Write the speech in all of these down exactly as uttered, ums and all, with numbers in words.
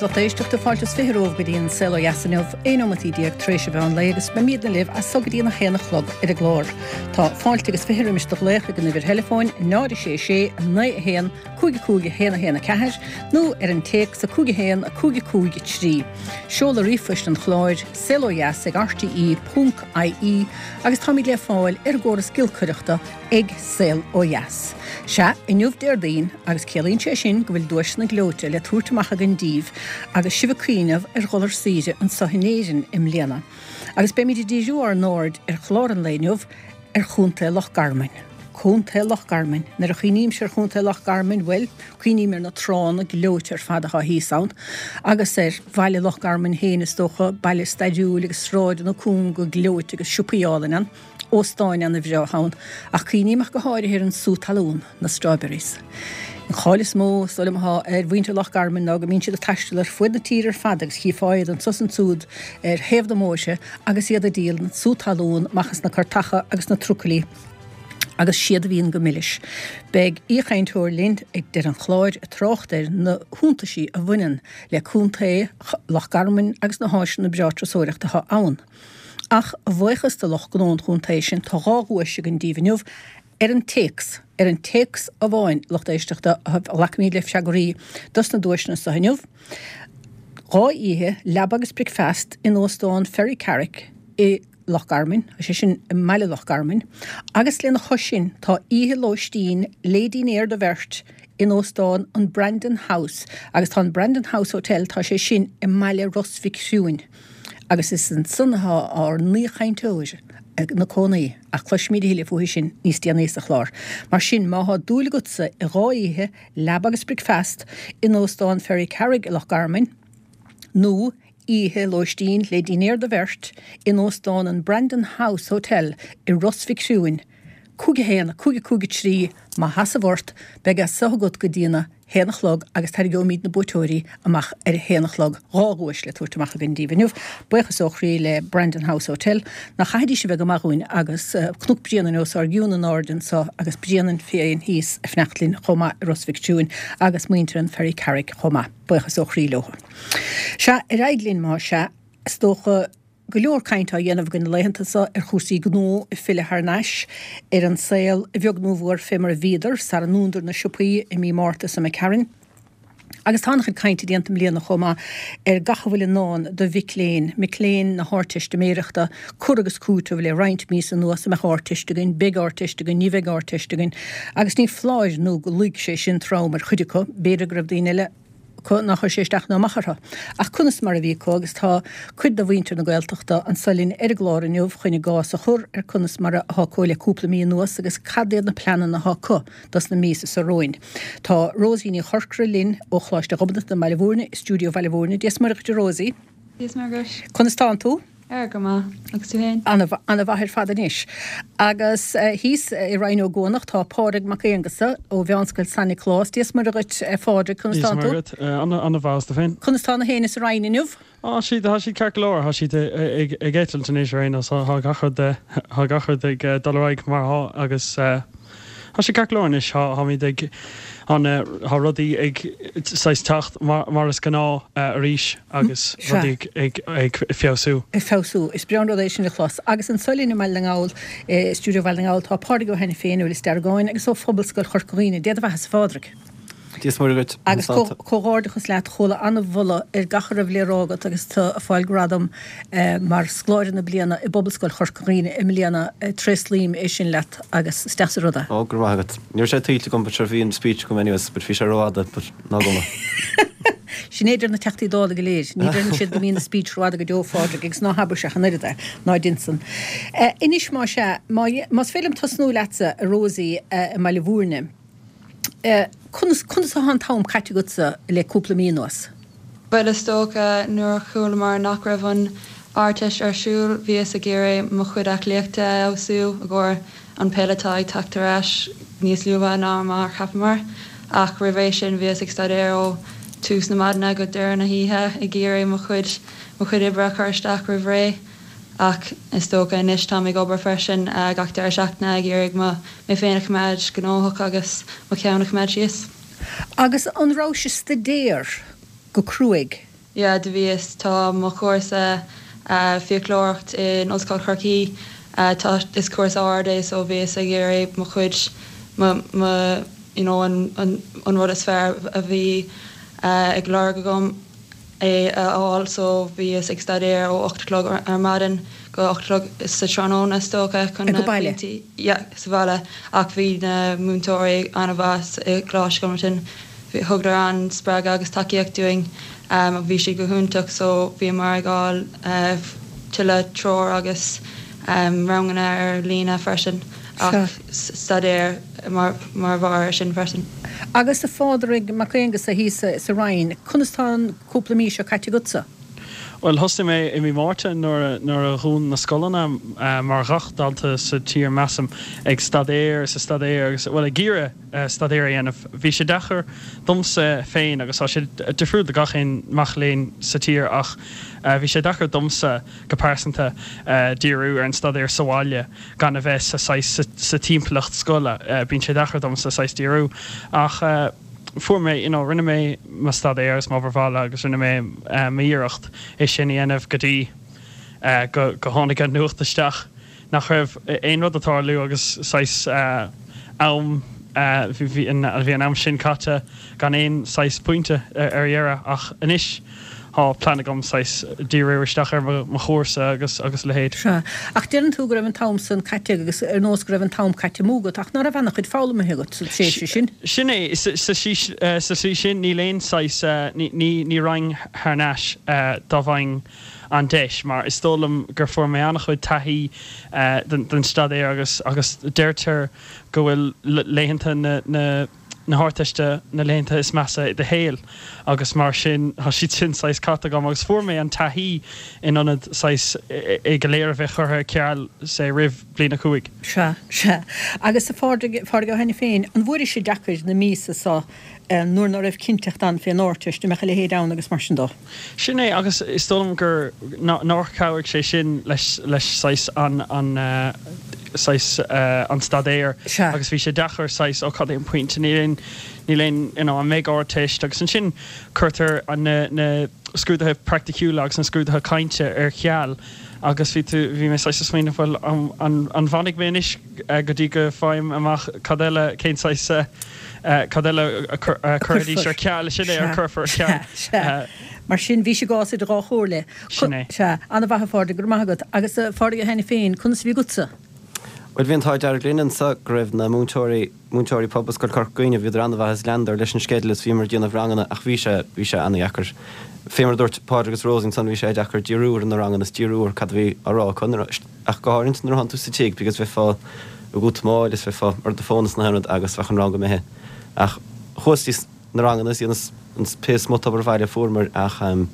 a lucht éisteachta fáilte is fiche romhaibh go dtí an Saol Ó Dheas inniu, aon nóimeataí déag tar éis an mheán lae agus beimidne libh as so go dtí an a haon a chlog ar an gclár. Tá fáilte agus fiche roimis do ghlaoch ag an uimhir theileafóin náid a sé sé naoi a haon cúig a cúig a haon a haon a ceathair nó ar an téacs a cúig a haon a cúig a cúig a trí. Seoladh ríomhphoist an chláir, saol ó dheas ag rte ponc ie agus táimid le fáil ar an gcóras giolcaireachta ag Saol Ó Dheas. Sea, inniu Déardaoin, agus ciallaíonn sé sin go bhfuil duaiseanna gleoite le tabhairt amach againn daoibh agus sibh ag cuimhneamh ar dhul ar saoire anseo in Éirinn i mbliana. Agus beimid ag díriú ár n-aird ar chlár an lae inniu ar Chontae Loch Garman. Contae Loch Garman. Nuair a chuimhnímse ar Chontae Loch Garman, bhuel, cuimhním ar na tránna gleoite ar fad atá thíos ann, agus ar bhaile Loch Garman féin is dócha, baile stairiúil agus sráideanna cúnga gleoite agus siopaí álainn ann. Óstáin ana-bhreá ann, ach cuimhním ach go háirithe ar an sú talún, na strawberries. An cháil is mó, is dóigh liom, atá ar mhuintir Loch Garman ná go mbíonn siad ag taisteal ar fuaid na tíre ar fad agus chífeá iad anso is ansúd ar thaobh na mbóithre agus iad ag díol an sú talún amach as na cairteacha agus na trucailí agus siad a bhíonn go milis. Beidh aoichainteoir linn ag deireadh an chláir ag trácht ar na hiontaisí a bhaineann le Contae Loch Garman agus na háiseanna breá turasóireachta atá ann. Ach a bhuíochas do lucht gnó an chontae sin, tá dhá dhuais againn daoibh inniu ar an téacs. Ar an téacs amháin, lucht éisteachta, a ghlacaimid le freagraí dos na duaiseanna seo inniu. Dhá oíche, leaba agus bricfeast in Óstán Ferrycarrig i Loch Garman, sé sin i mbaile Loch Garman, agus lena chois sin tá oíche lóistín le dinnéar do bheirt in Óstán an Brandon House agus tá an Brandon House Hotel, tá sé sin i mbaile Ros Mhic Thriúin. Agus is ansan atá ár n-aoichainteoir ina cónaí, ach cloisfimid a thuilleadh fúithi sin níos déanaí sa chlár. Mar sin, má thá dúil agatsa i dhá oíche, leaba agus bricfeast, in Óstán Ferrycarrig i Loch Garman, nó oíche lóistín le dinnéar do bheirt in Óstán an Brandon House Hotel i Ros Mhic Thriúin, cúig a haon, cúig a cúig a trí, má sheasamh ort, beidh é so agat go dtína haon a chlog agus tarraingeoimid na buaiteoirí amach ar a haon a chlog. Dhá dhuais le tabhairt amach againn daoibh inniu. Buíochas ó chroí le Brandon House Hotel. Nach chaithfidís a bheith go maith dhúinn agus Cnoc Bréanainn os ár gcionn in airde anso agus Bréanainn féin thíos ag fanacht linn chomh maith i Ros Mhic Thriúin agus muintir an Ferrycarrig chomh maith. Buíochas ó chroí leo. Sea, ar aghaidh linn más ea, is dócha. Go leor cainte á dhéanamh againn na laethanta seo ar chúrsaí gnó ag filleadh thar n-ais ar an saol, a bheag nó a mhór fé mar a bhíodar sara ndúnadar na siopaí i mí Márta seo imigh tharainn. Agus tá an-chuid cainte déanta i mbliana chomh maith ar gach a bhfuil i ndán do mhic léinn, mic léinn na hArdteistiméireachta, cur agus cúiteamh le roinnt míosa anuas, an mbeadh Ardteist againn, beidh Ardteist againn, ní bheidh Ardteist againn, agus ní foláir nó go luigh sé sin trom ar chuid acu, b'fhéidir go raibh daoine eile. acu nár chuir sé isteach ná amach orthu. Ach conas mar a bhí acu agus tá cuid de mhuintir na Gaeltachta anso linn ar an gclár inniu chun a gcás a chur ar conas mar atá acu le cúpla mí anuas agus cad iad na pleananna atá acu dos na míosa seo romhainn. Tá Rosie Ní Chorcora linn ó Choláiste Ghobnatan i mBaile Bhúirne, i stiúideo Bhaile Bhúirne. Dia 's Muire dhuit a Rosie. Dia 's Muire dhuit. Conas tánn tú? Ar, go maith. Agus tú féin? Ana-mhaith ar fad anois. Agus thíos i Rinn Ó gCuanach tá Pádraig Mac Aonghusa ó Mheánscoil San Nioclás. Dia 's Muire dhuit a Phádraig, conas Dia 's tánn Muire tú? dhuit. Ana-mhaith, agus tú féin? Conas tá na héin sa Rinn inniu? Á, siad, tá siad ceart go leor. Tá siad ag eitilt anois ar aon nós. Tá gach rud, tá gach rud ag dul ar aghaidh mar atá agus tá sé ceart go leor anois. Táimid ag, tá rudaí ag saghas teacht mar is gnáth arís. agus rudaí ag feabhsú. Ag feabhsú. Is breá an rud é sin a chlos. Agus anso linn i mBaile na nGall, i stiúideo Bhaile na nGall, tá Pádraig Ó hAiniféin ó Lios Deargáin agus ó Phobalscoil Chorca Dhuibhne. Dé do bheatha-sa, a Phádraig. Dia 's Muire dhuit. Agus comhghairdeachas leat, chuala an-mholadh ar gach a raibh le rá agat agus tú ag fáil gradam mar Scoláire na Bliana i bPobalscoil Chorca Dhuibhne i mbliana. Tréaslaím é sin leat agus is deas an rud é. Ó, go raibh maith agat. Ní raibh sé tuillte agam but sure bhí an speech agam anyways but bhí sé rófhada but ná cuma. Sin é a deir na Teachtaí Dála go léir. Ní deireann siad go mbíonn a speech rófhada go deo, a Phádraig, agus ná habairse ach an oiread é, ná dein san. Anois, más ea, más féidir liom tosnú leatsa, a Rosie, i mBaile Bhúirne, conas, conas atá an t-am caite agatsa le cúpla mí anuas? Bhuel, is dócha, nuair a chualamar nach raibh an Ardteist ar siúl, bhíos ag iarraidh mo chuid aclaíochta a fheabhsú i gcomhair an peil atá ag teacht ar ais níos luaithe ná mar a cheapamar. Ach roimh ré sin bhíos ag staidéar ó tús na maidine go deireadh na hoíche ag iarraidh mo chuid mo chuid oibre a chur isteach roimh ré. Ach is dócha anois táim ag obair freisin gach deireadh seachtaine ag iarraidh mo mé féin a choimeád gnóthach agus mo cheann a choimeád síos. Agus an rabhais ag staidéar go cruaidh? Yeah, do bhíos tá mo chúrsa uh, fiaclóireacht in Ollscoil Chorcaí uh, tá is cúrsa ard é so bhíos ag iarraidh mo chuid mo, mo, you know, an, an, an rud is fearr a bhí uh, ag lorg agam é a fháil so bhíos ag staidéar ó ocht clog ar, ar maidin go ocht clog sa tráthnóna is dócha chun Ag na baile? pointí- Yeah, sa bhaile ach bhí na múinteoirí an-mhaith i gColáiste Cholmcille thugadar an spreagadh agus tacaíocht dúinn um, bhí sé go hiontach so bhíomar ag fháil uh, tuilleadh treoir agus um, ranganna ar líne freisin ach staidéar mar mar bharr sin freisin. Agus a Phádraig Mac Aonghusa thíos sa Rinn, conas tá an cúpla mí seo caite agatsa? Well thosaigh mé i mí Márta nuair nuair a dhún na scoileanna uh, mar gach dalta sa tír measaim ag staidéar sa staidéar agus well ag iarraidh uh, staidéar a dhéanamh. Bhí sé deacair domsa féin agus tá sé difriúil do gach aon mac léinn sa tír ach uh, bhí sé deacair domsa go pearsanta uh, díriú ar an staidéar sa bhaile gan a bheith sa sa, sa timpeallacht scoile uh, bíonn sé deacair domsa saghas díriú ach uh, fuair mé you know, rinne mé mo staidéar is mo bhaile agus rinne mé uh, m'iarracht é sin a dhéanamh go dtí uh, go, go tháinig an nuacht isteach nach raibh aon rud ag tarlú agus saghas uh, am uh, bhí an bhí an am sin caite gan aon saghas pointe ar ar dheireadh ach anois tá plean agam saghas díriú isteach ar mo chúrsa agus agus leithéid. Sea. Ach deireann tú go raibh an t-am san caite agus ar nós go raibh an t-am caite amú agat ach ná raibh an-chuid foghlamtha agat sa tréimhse sin. Sin é sa slí sin níl aon saghas ní ní rang thar n-ais dá bhfaighinn an deis mar is dóigh liom gur fuair mé an-chuid taithí den, den staidéar agus agus deirtear go bhfuil laethanta na, na na hArdteiste na laethanta is measa i do shaol agus mar sin tá siad sin saghas caite agam agus fuair mé an taithí in ionad saghas é go léir a bheith curtha ar ceal sé roimh bliain a cúig. Sea sea agus a Phádraig Ó hAiniféin an bhfuair sé deacair na míosa seo nuair nach raibh cinnteacht ann fén Ardteist me le héad agus mar sin dó. Sin é agus is dóigh liom gur nár chabhraigh sé sin leis leis saghas an an uh, saghas uh, an staidéar agus bhí sé deacair saghas ó cad é an pointe níl aon níl aon you know, an mbeidh Ardteist agus ansin cuirtear an na, na scrúduithe praiticiúla agus an scrúduithe cainte ar ceal agus bhí tú bhí mé saghas smaoineamh bhfuil an, an, an bhfanfaidh mé anois uh, go dtí go bhfaighim amach cad eile cén saghas uh, cad eile a chuirfidís ar ceal sin é a chuirfear ar ceal. Mar sin bhí sé gás idir dhá chomhairle. Sin é. Sea, an-mhaith a Phádraig go maith agat agus Phádraig Ó hAiniféin conas bhí agatsa. Well bhí an t-ádh dearg linn anseo go raibh na múinteoirí múinteoirí Pobalscoil Chorca Dhuibhne bhíodar an-mhaith is leanadar leis an sceideal is bhíomar ag déanamh ranganna ach bhí sé bhí sé an-deacair. Fé mar dúirt Pádraig agus Rosie ansan bhí sé deacair díriú ar na ranganna is díriú ar cad a bhí á rá acu ach go háirithe nuair atánn tú sa tigh because bheifeá ag útamáil is bheifeá ar do fón is na haon rud agus bheadh an rang imithe. Ach chuas na ranganna is an pé smut obair bhaile fuaireamar ach um,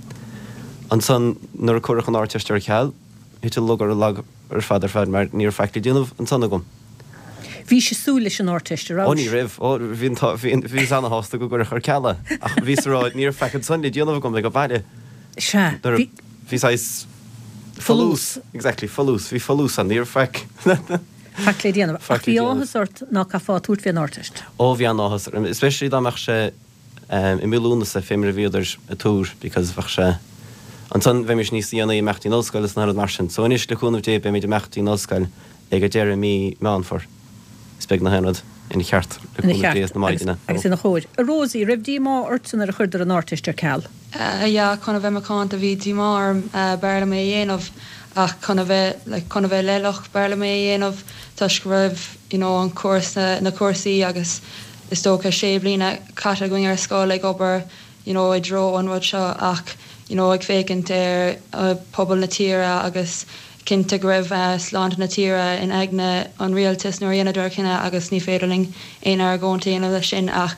ansan nuair a cuireadh an Ardteist ar ceal, thit an lug ar an lag ar fad ar fad mar ní raibh faic le déanamh ansan agam. Bhí sé súil leis an Ardteist ar Ó ní raibh ó bhí bhí an-shásta go gcuirfí ar ceal é ach bhí rá ní raibh faic ansan le déanamh agam ag baile. Sea Bhí saghas folús exactly folús bhí folús an ní raibh faic. Faic le déanamh ach bhí áthas ort ná caithfeá tabhairt fén Ardteist. Ó bhí an-áthas especially dá mbeadh sé um, i mí Lúnasa fé mar a bhíodar ag tuar because bheadh sé Ansan bheimis níos déanaí imeacht in ollscoil is na mar sin, so anois le cúnamh Dé beimid imeacht in ollscoil ag a deireadh mí Meán Fómhair. Is beidh na haon rud ina cheart le cúnamh Dé is na maighdeana. Agus ina chóir. A Rosie, raibh díomá ort nuair a chuireadar an Ardteist ar ceal. Uh, yeah, chun a bheith macánta bhí díomá orm uh, b'fhearr liom é a dhéanamh ach chun a bheith like, chun a bheith leithleach b'fhearr liom é a dhéanamh toisc go raibh you know, an cúrsa na cúrsaí agus is dócha sé bliana caite againn ar scoil ag obair you know, i dtreo an rud seo ach you know, ag féachaint ar uh, pobal na tíre agus cinnte go raibh uh, sláinte na tíre in aigne an rialtas nuair a rinneadar cinneadh agus ní féidir linn aon argóint a dhéanamh leis sin ach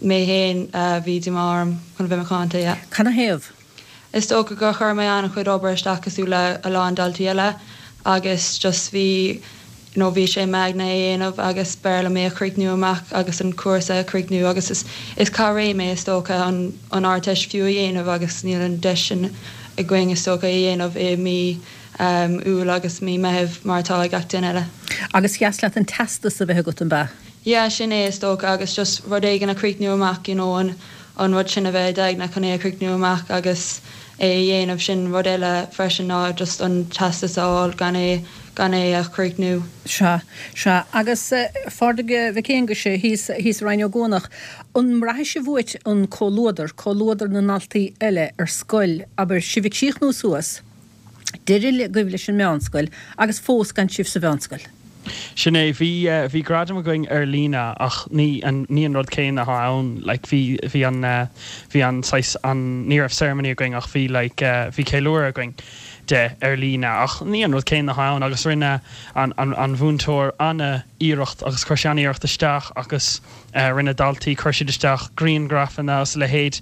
mé féin uh, bhí díomá orm chun bheith macánta. Yeah. Canathaobh? Is dócha gur chuir mé an-chuid obair isteach cosúil le a lán daltaí eile agus just bhí you know, bhí sé m'aigne é a dhéanamh agus b'fhearr liom é a chríochnú amach agus an cúrsa a chríochnú agus is, is caithfidh mé is dócha an, an Ardteist fiú a dhéanamh agus níl an deis sin againn is dócha a dhéanamh i mí um, Iúil agus mí Meitheamh mar atá ag gach duine eile. Agus ba dheas leat an teastas a bheith agat an b'ea? Yeah, sin é is dócha agus just rud éigin a chríochnú amach you know, an, an rud sin a bheith i d'aigne chun é a chríochnú amach agus é a dhéanamh sin rud eile freisin ná just an teastas a fháil gan é gan é a chríochnú. Sea, sea. Agus a Phádraig Mhic Aonghuis thíos thíos i Rinn Ó gCuanach, an mbraithfidh sibh uait an comhluadar, comhluadar na ndaltaí eile ar scoil, abair, sibh ag críochnú suas, deireadh agaibh leis an meánscoil agus fós gan sibh sa mheánscoil? Sin é, bhí bhí gradam againn ar líne ach ní an ní an rud céanna atá ann, like bhí bhí an bhí an saghas an ní raibh ceremony againn ach bhí like bhí ceiliúradh againn de ar líne ach ní an rud céanna atá ann agus rinne an an an mhúinteoir an-iarracht agus chuir sé an-iarracht isteach agus rinne daltaí chuir siad isteach grianghrafanna agus a leithéid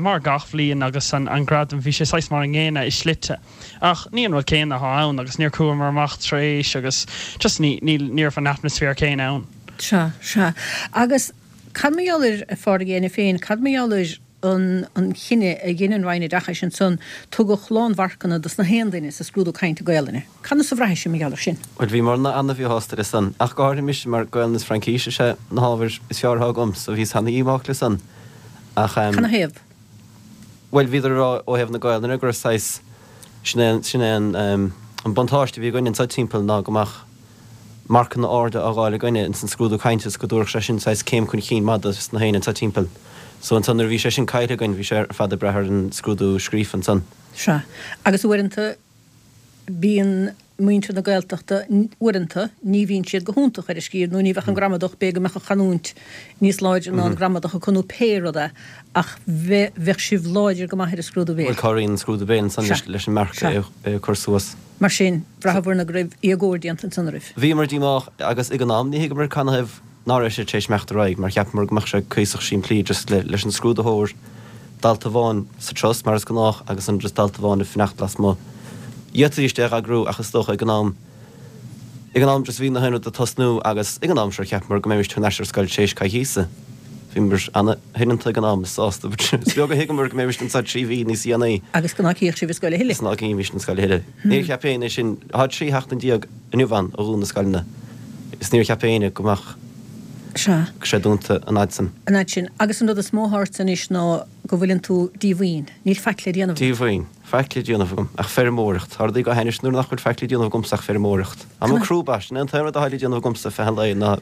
mar gach bhliain agus an an gradam bhí sé saghas mar an gcéanna i slite. Ach ní an rud céanna atá ann agus níor chuamar amach tar éis agus just ní ní ní raibh an atmaisféar céanna ann. Sea, sea. Agus cad mar gheall ar a Phádraig Éanna féin, cad mar gheall ar an an chinneadh a dhein an Roinn Oideachais ansan, tugadh lánmharcanna dos na haon duine sa scrúdú cainte Gaelainne. Conas a bhraithfidh sibh mar gheall ar sin? Bhuel, bhíomar ana-mhíshásta le san, ach go háirithe mise mar Gaelainn is Fraincis is ea na hábhair is fearr atá agam, so bhíos ana-dhíomách le san. Ach em. Canathaobh? Bhuel, bhíodar ag rá ó thaobh na Gaelainne go raibh saghas, sin é, sin é an em, an buntáiste a bhí againne anseo timpeall ná go mbeadh marcanna arda á dh'fháil againne ins an scrúdú cainte is go dtabharfadh sé sin saghas céim chun chinn maith dos na héinne anseo timpeall. So ansan nuair a bhí sé sin caillte againn bhí sé ar fad ag brath ar an scrúdú scríofa ansan. Sea. Agus uaireanta bíonn muintir na Gaeltachta, uaireanta ní bhíonn siad go hiontach ar an scríobh nó ní bheadh an gramadach, b'fhéidir go mbeadh an chanúint níos láidre ná an gramadach acu nó pé rud é ach bheadh sibh láidir go maith ar an scrúdú béil. Bhuel cabhraíonn an scrúdú béil ansan leis an marc a chur suas. Mar sin, bhraitheabhair-na go raibh éagóir déanta ansan oraibh. Bhíomar díomách agus ag an am ní thuigeamar canathaobh ná raibh sé tar éis imeacht ar aghaidh mar cheapamar go mbeadh sé cuíosach simplí just le leis an scrúdaitheoir dalta amháin sa turas mar is gnách agus an just dalta amháin ag fanacht lasmuigh. D'fhéadfaidís é a eagrú ach is dócha ag an am ag an am just bhí na haon rud ag tosnú agus ag an am sure cheapamar go mbeimis thar n-ais ar scoil tar éis coicíosa. Bhíomar ana-shoineanta ag an am is sásta but is beag a thuigeamar go mbeimis anseo trí mhí níos dhéanaí. Agus go ná cífeadh sibh an scoil a thuilleadh. Is ná cífimis an scoil a thuilleadh. Níor cheap éinne sin, tá trí sheachtain déag inniu ann ó dhún na scoileanna is níor cheap éinne go mbeadh Sea. sé dúnta an fhad san. An fhad sin. Agus an rud is mó atá ort anois ná go bhfuileann tú díomhaoin. Níl faic le déanamh agat. Díomhaoin. Faic le déanamh agam ach feirmeoireacht. Tá rudaí go hainnis nuair nach bhfuil faic le déanamh agamsa ach feirmeoireacht. Tá mé crúba, sin é an t-aon rud atá le déanamh agamsa feadh an lae ná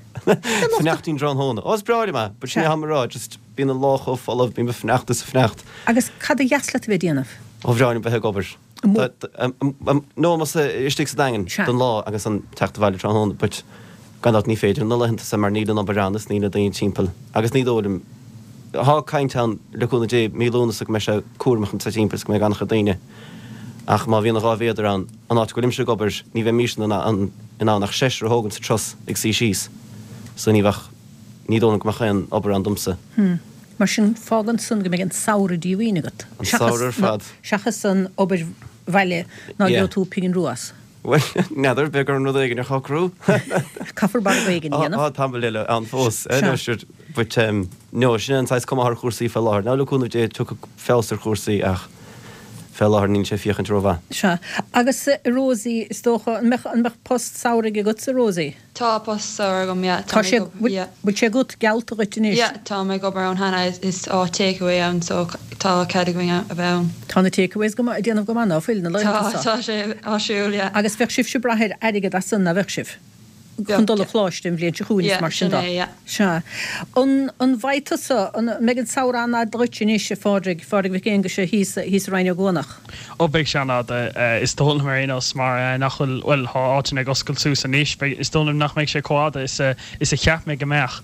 fanacht i dtráthnóna. Ó is breá liom é, but sin é atá mé a rá, just bíonn an lá chomh folamh, bím ag fanacht is ag fanacht. Agus cad a dheas leat a bheith ag déanamh? Ó bhreá liom bheith ag obair. No, más istigh sa Daingean don lá agus an teacht abhaile tráthnóna, but gan dabht ní féidir na laethanta san mar níl an obair ann is níl na daoine timpeall agus ní dóigh liom, tá caint ann le cúnamh Dé mí Lúnasa go mbeidh sé cúramach anseo timpeall is go mbeidh an-chuid daoine ach má bhíonn dhá mhéadar ann, an áit go bhfuilimse ag obair ní bheimis in ann in ann ach seisear a thógaint sa turas ag suí síos so ní bheadh, ní dóigh liom go mbeadh aon obair ann domsa. Hmm. Mar sin fágann san go mbeidh an samhradh díomhaoin agat. An samhradh ar fad. Seachas an obair bhaile ná Yeah. gheobhaidh tú pingin rua as. Bhuel, n'fheadar, beidh orm rud éigin a shocrú. Caithfear margadh éigin a dhéanamh. Tá tamall eile ann fós, eh, no, sure, but um, no, sin é an saghas cuma atá ar chúrsaí fé láthair. Now le cúnamh Dé tiocfaidh feabhas ar chúrsaí ach fé láthair níl sé ag féachaint rómhaith. Sea. Agus Rosie, is dócha, an mbeadh, an mbeadh post samhraidh agatsa, Rosie? Tá post samhraidh agam, yeah. Tá Tá mé sé, ag obair, yeah. bhfuil sé agat, geallta dhuit anois? Yeah, tá mé ag obair ann cheana, is áit takeaway ann so tá cead againn a bheith ann. Tá na takeaways go maith, ag déanamh go maith, ná fuil, na laethanta Tá, seo? tá sé áisiúil, yeah. Agus bheadh sibhse ag brath ar airgead as san, ná bheadh sibh? Chun Bheadh, dul a yeah. choláiste an bhliain seo chugainn is Yeah, mar sin sin de. é, yeah. Sea. An, an bhfaighidh tusa, an mbeidh an samhradh an-fhada dhuit anois, a Phádraig, Phádraig Mhic Aonghuis thíos, thíos i Rinn Ó gCuanach? Ó beidh sé an-fhada, is dóigh liom ar aon nós, mar nach bhfuil, bhuel, tá áiteanna ag oscailt suas anois, beidh, is dóigh liom nach mbeidh sé chomh fhada is a, is a cheap mé go mbeadh,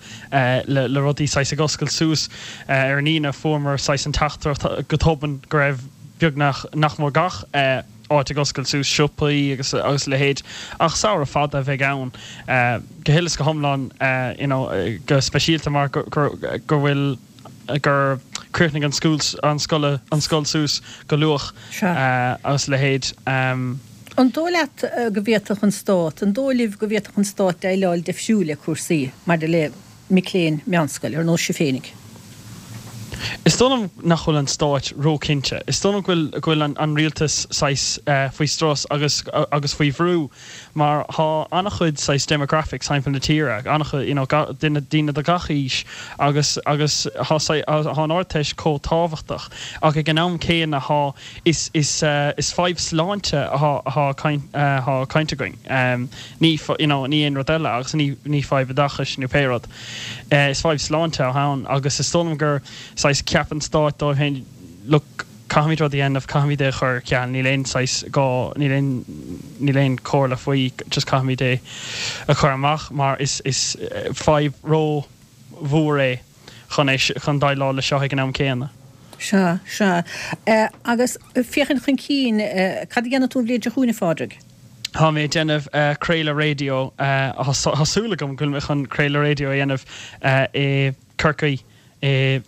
le, le rudaí saghas ag oscailt suas. Ar an Aoine fuaireamar saghas an teachtaireacht go tobann go raibh beagnach, nach mór gach áit ag oscailt suas, siopaí agus, agus a leithéid, ach samhradh fada a bheidh ann, go huile is go hiomlán, you know, go speisialta mar go, go, go bhfuil. gur chríochnaigh an school an scoil an scoil suas go luath agus a leithéid. An dóigh leat go bhféadfadh an Stát, an dóigh libh go bhféadfadh an Stát déileáil difriúil le cúrsaí maidir le mic léinn meánscoile ar nós sibh féinig? Is dóigh liom nach bhfuil an stáit róchinnte. Is dóigh liom go bhfuil go bhfuil an an rialtas saghas faoi strus agus agus faoi bhrú mar thá an-chuid saghas demographics thimpeall na tíre, an-chuid you know duine daoine de gach aois agus agus thá thá an Ardteist chomh tábhachtach ach ag an am céanna thá is is is fadhb sláinte athá athá caint athá caint againn. Ní you know ní aon rud eile agus ní ní fadhb oideachais nó pé rud. Is fadhb sláinte atá ann agus is dóigh liom gur saghas ceap an stáit dóibh féin look caithfimid rud a dhéanamh, caithfimid é a chur ar ceal, níl aon saghas gá, níl aon, níl aon chomhairle faoi, just caithfimid é a chur amach mar is, is fadhb ró-mhór é chun é, chun déileáil leis seo ag an am céanna. Sea, sea. Agus féachaint chun cinn, cad a dhéanfaidh tú an bhliain seo chugainn, a Phádraig? Tá mé ag déanamh craoladh raidió, tá súil agam go bhfuil mé chun craoladh raidió a dhéanamh i Corcaigh i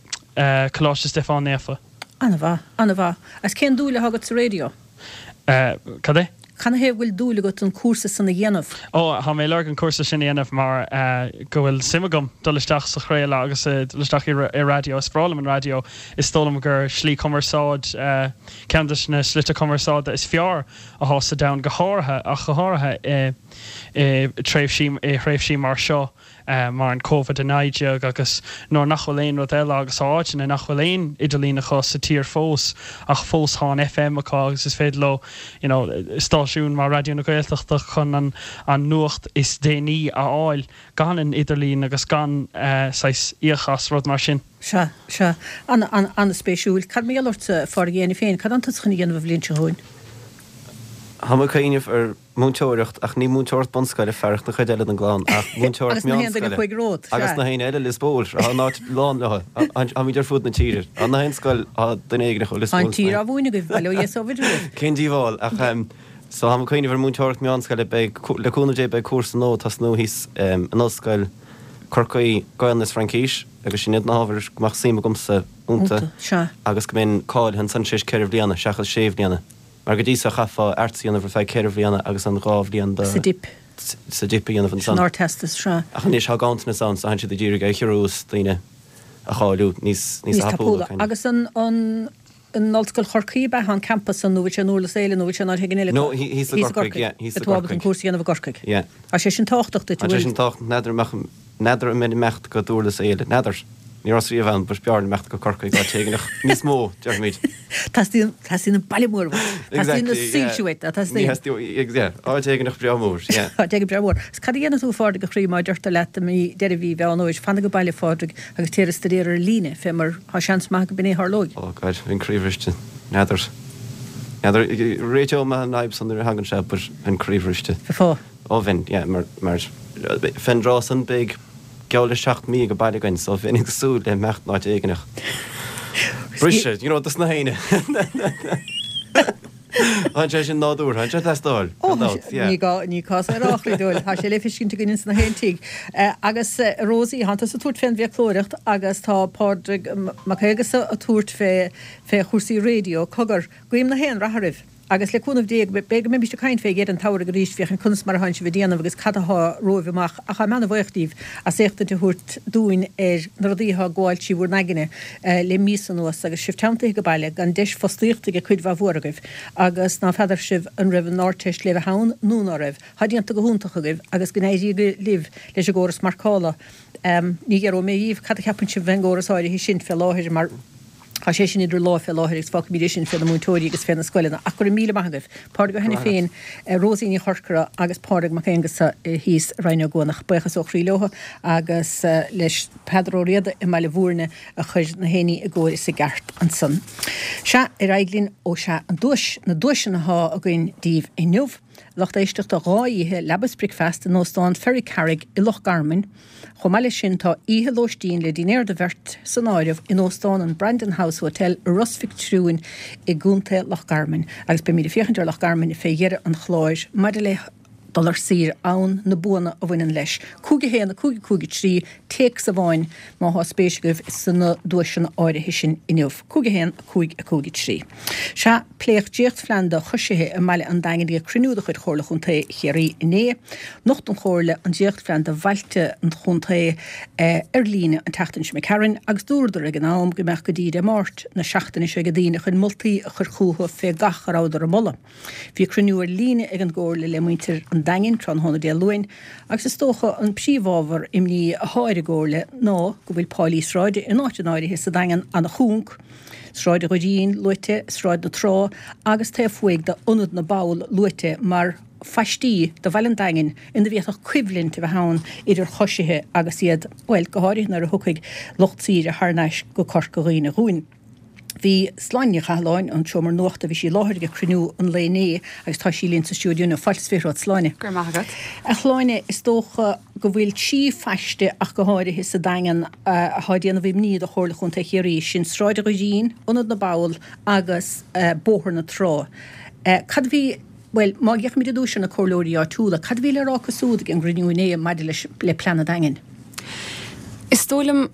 Coláiste Stiofáin Naofa. An-mhaith, an-mhaith. Agus cén dúil atá agat sa raidió? Cad é? Canathaobh go bhfuil dúil agat an cúrsa san a dhéanamh? Ó, tá mé ag lorg an cúrsa sin a dhéanamh mar go bhfuil suim agam dul isteach sa chraoladh agus dul isteach i raidió. Is breá liom an raidió. Is dóigh liom gur slí cumarsáid, ceann de na slite cumarsáide is fearr atá sa domhan, go háirithe, ach go háirithe i tréimhsí, i thréimhsí mar seo mar an Covid a naoi déag agus nuair nach bhfuil aon rud eile agus tá áiteanna nach bhfuil aon idirlíon acu sa tír fós ach fós tá an FM acu agus is féidir leo you know stáisiún mar Raidió na Gaeltachta chun an an nuacht is déanaí a fháil gan an idirlíon agus gan saghas íoc as rud mar sin. Sea, sea. An-spéisiúil. Cad mar gheall ortsa, a Phádraig Éanna féin? Cad atánn tusa chun a dhéanamh an bhliain seo chugainn? Tá mé ag cuimhneamh ar mhúinteoireacht, ach ní múinteoireacht bunscoile, fearacht na cuid eile den gclann, ach múinteoireacht Agus na haon duine meánscoile. a chuaigh romhat, Agus sea. na haon eile Lios Póil, tá an áit lán leo. Táimid ar fud na tíre. Tá na haon scoil, tá duine éigin acu, Lios Tá an Póil tír á mhúineadh agaibh, bail ó Dhia is ó Mhuire oraibh. Cén díobháil, ach so tá mé ag cuimhneamh ar mhúinteoireacht meánscoile, beidh, le cúnamh Dé, beidh cúrsa nua ag tosnú thíos in Ollscoil Chorcaí, Gaelainn is Fraincis, agus sin iad na hábhair go mbeadh suim agamsa iontu Iontu, sea. agus go mbeinn cáilithe ansan tar éis ceithre bhliana seachas sé bhliana. Mar go dtí seo chaithfeá Arts a dhéanamh ar feadh ceithre bhliana agus an dhá bhliain Sa dip. sa dip a dhéanamh San ansan. Ardteastas, sea. Ach anois tá ganntanas ann so tánn siad ag iarraidh é a chiorrú is daoine a cháiliú níos Níos tapúla tapúla. kind of. Agus an an in Ollscoil Chorcaí ab ea an campas san nó bhfuil sé in Durlas Éile nó bhfuil sé in áit éigin eile? No, thíos i Thíos i gCorcaigh, gCorcaigh. yeah, thíos i Atá ábalta an gCorcaigh. cúrsa a dhéanamh i gCorcaigh. Yeah. Tá sé sin tábhachtach duit, Tá sé bhfuil? sin tábhachtach, n'fheadar an mbeadh, n'fheadar an mbeinn ag imeacht go Durlas Éile, n'fheadar. Ní rabhas riamh ann, but b'fhearr liom imeacht go Corcaigh, áit éigineach níos mó, déarfaimid. Teastaíonn, teastaíonn an baile mór uait. Teastaíonn na Exactly, yeah. soilse uait, Ní teastaíonn. theastaíonn, yeah, áit éigineach breá mór, yeah. Áit éigin breá mór. Is cad a dhéanfaidh tú, a Phádraig, a chroí, má deirtear leat i mí, deireadh mhí Mheán Fhómhair, fan age baile, a Phádraig, agus téir ag staidéar ar líne, fé mar tá seans maith go b'in é a tharlóidh. Oh God, bheinn croíbhriste. N'fheadar. N'fheadar, réiteoidh mé an fhadhb san nuair a thagann sé, but bheinn croíbhriste. Bheifeá. Ó bheinn, yeah, mar, mar, fén dtráth san beidh geall le seacht mí age baile againn, so bheinn ag súil le imeacht in áit éigineach. Briseadh, you know, dos na héinne. Tá sé sin nádúrtha, tá sé ag teastáil, Ó, gan dabht, yeah. ní gá, ní cás é a rá, a chroí dúil, tá sé le feiscint againn ins na haon tigh. Agus Rosie, tánn tusa ag tabhairt fén bhfiaclóireacht agus tá Pádraig Mac Aonghusa ag tabhairt fé, fé chúrsaí raidió. Cogar, guím na haon rath oraibh. Agus le cúnamh Dé, b'fhéidir go mbeimis ag caint fé dheireadh an tsamhraidh arís, féachaint conas mar atánn sibh ag déanamh agus cad athá romhaibh amach. Ach táim ana-bhuíoch díbh as éachtaint a thabhairt dúinn ar na rudaí athá ag gabháil trí bhur n-aigne le míosa anuas agus sibh teanntaithe age baile gan deis fostaíochta ag cuid mhaith mhór agaibh agus ná feadar sibh an raibh an Ardteist le bheith ann nó ná raibh. Thá déanta go hiontach agaibh agus go n-éirí libh leis an gcóras marcála. Ní fhiafróidh mé dhíbh cad a cheapann sibh fén gcóras áirithe sin fé láthair mar Tá sé sin idir lámha fé láthair agus fágfaimid é sin fé na múinteoirí agus fé na scoileanna. Ach go raibh míle maith agaibh. Pádraig Ó hAiniféin, Rosie Ní Chorcora agus Pádraig Mac Aonghusa thíos i Rinn Ó gCuanach. Buíochas ó chroí leo agus leis Peadar Ó Riada i mBaile Bhúirne a chuir na héinní i gcóir is i gceart ansan. Sea, ar aghaidh linn, ó sea, an duais, na duaiseanna athá againn daoibh inniu. Lucht éisteachta dhá oíche leaba is bricfeasta in Óstán Ferrycarrig i Loch Garman. Chomh maith leis sin tá oíche lóistín le dinnéar do bheirt san áireamh in Óstán an Brandon House Hotel i Ros Mhic Triúin i gContae Loch Garman. Agus beimid ag féachaint ar Loch Garman fé dheireadh an chláir maidir le dul ar saoire ann, na buanna a bhaineann leis. Cúig a haon, a cúig, a cúig a trí, téacs amháin má thá spéis agaibh sna duaiseanna áirithe sin inniu. Cúig a haon, a cúig, a cúig a trí. Sea, pléadh dréachtphlean do choisithe i mbaile an Daingin ag cruinniú de chuid Chomhairle Chontae Chiarraí inné. Nocht an Chomhairle an dréachtphlean do bhailte an chontae ar líne an tseachtain seo imigh tharainn agus dúradar ag an am go mbeadh go dtí Dé Máirt na seachtaine seo ag daoine chun moltaí a chur chucu fé gach a rabhadar a mholadh. Bhí cruinniú ar líne ag an gComhairle le muintir an Daingin tráthnóna Dé Luain agus is dócha an príomhábhar imní athá ar an gComhairle ná go bhfuil páilí sráide in áiteanna áirithe sa Daingean ana-chúng, Sráid an Dhoirín luaite, Sráid na Trá agus taobh thuaidh d'Ionad na bPoll luaite mar phaistí do bhaile an Daingin ina bhféadfadh coimhlint a bheith ann idir choisithe agus iad, bhuel, go háirithe nuair a thiocfaidh lucht saoire thar n-ais go Corca Dhuibhne chugainn. Bhí Sláine Ní Chathalláin ón tSeomra Nuachta, bhí sí i láthair ag cruinniú an lae inné agus tá sí linn sa stiúideo inniu. Fáilte is fiche romhat, Sláine. Go raibh maith agat. A Shláine, is dócha go bhfuil trí phaiste ach go háirithe sa Daingean athá ag déanamh imní do Chomhairle Chontae Chiarraí, sin Sráid an Dhoirín, Ionad na bPoll agus Bóthar na Trá. Cad a bhí, bhuel, má fhéachaimid ar dtús ar na comhairleoirí áitiúla, cad a bhí le rá acu súd ag an gcruinniú inné maidir leis, le plean an Daingin? Is dóigh liom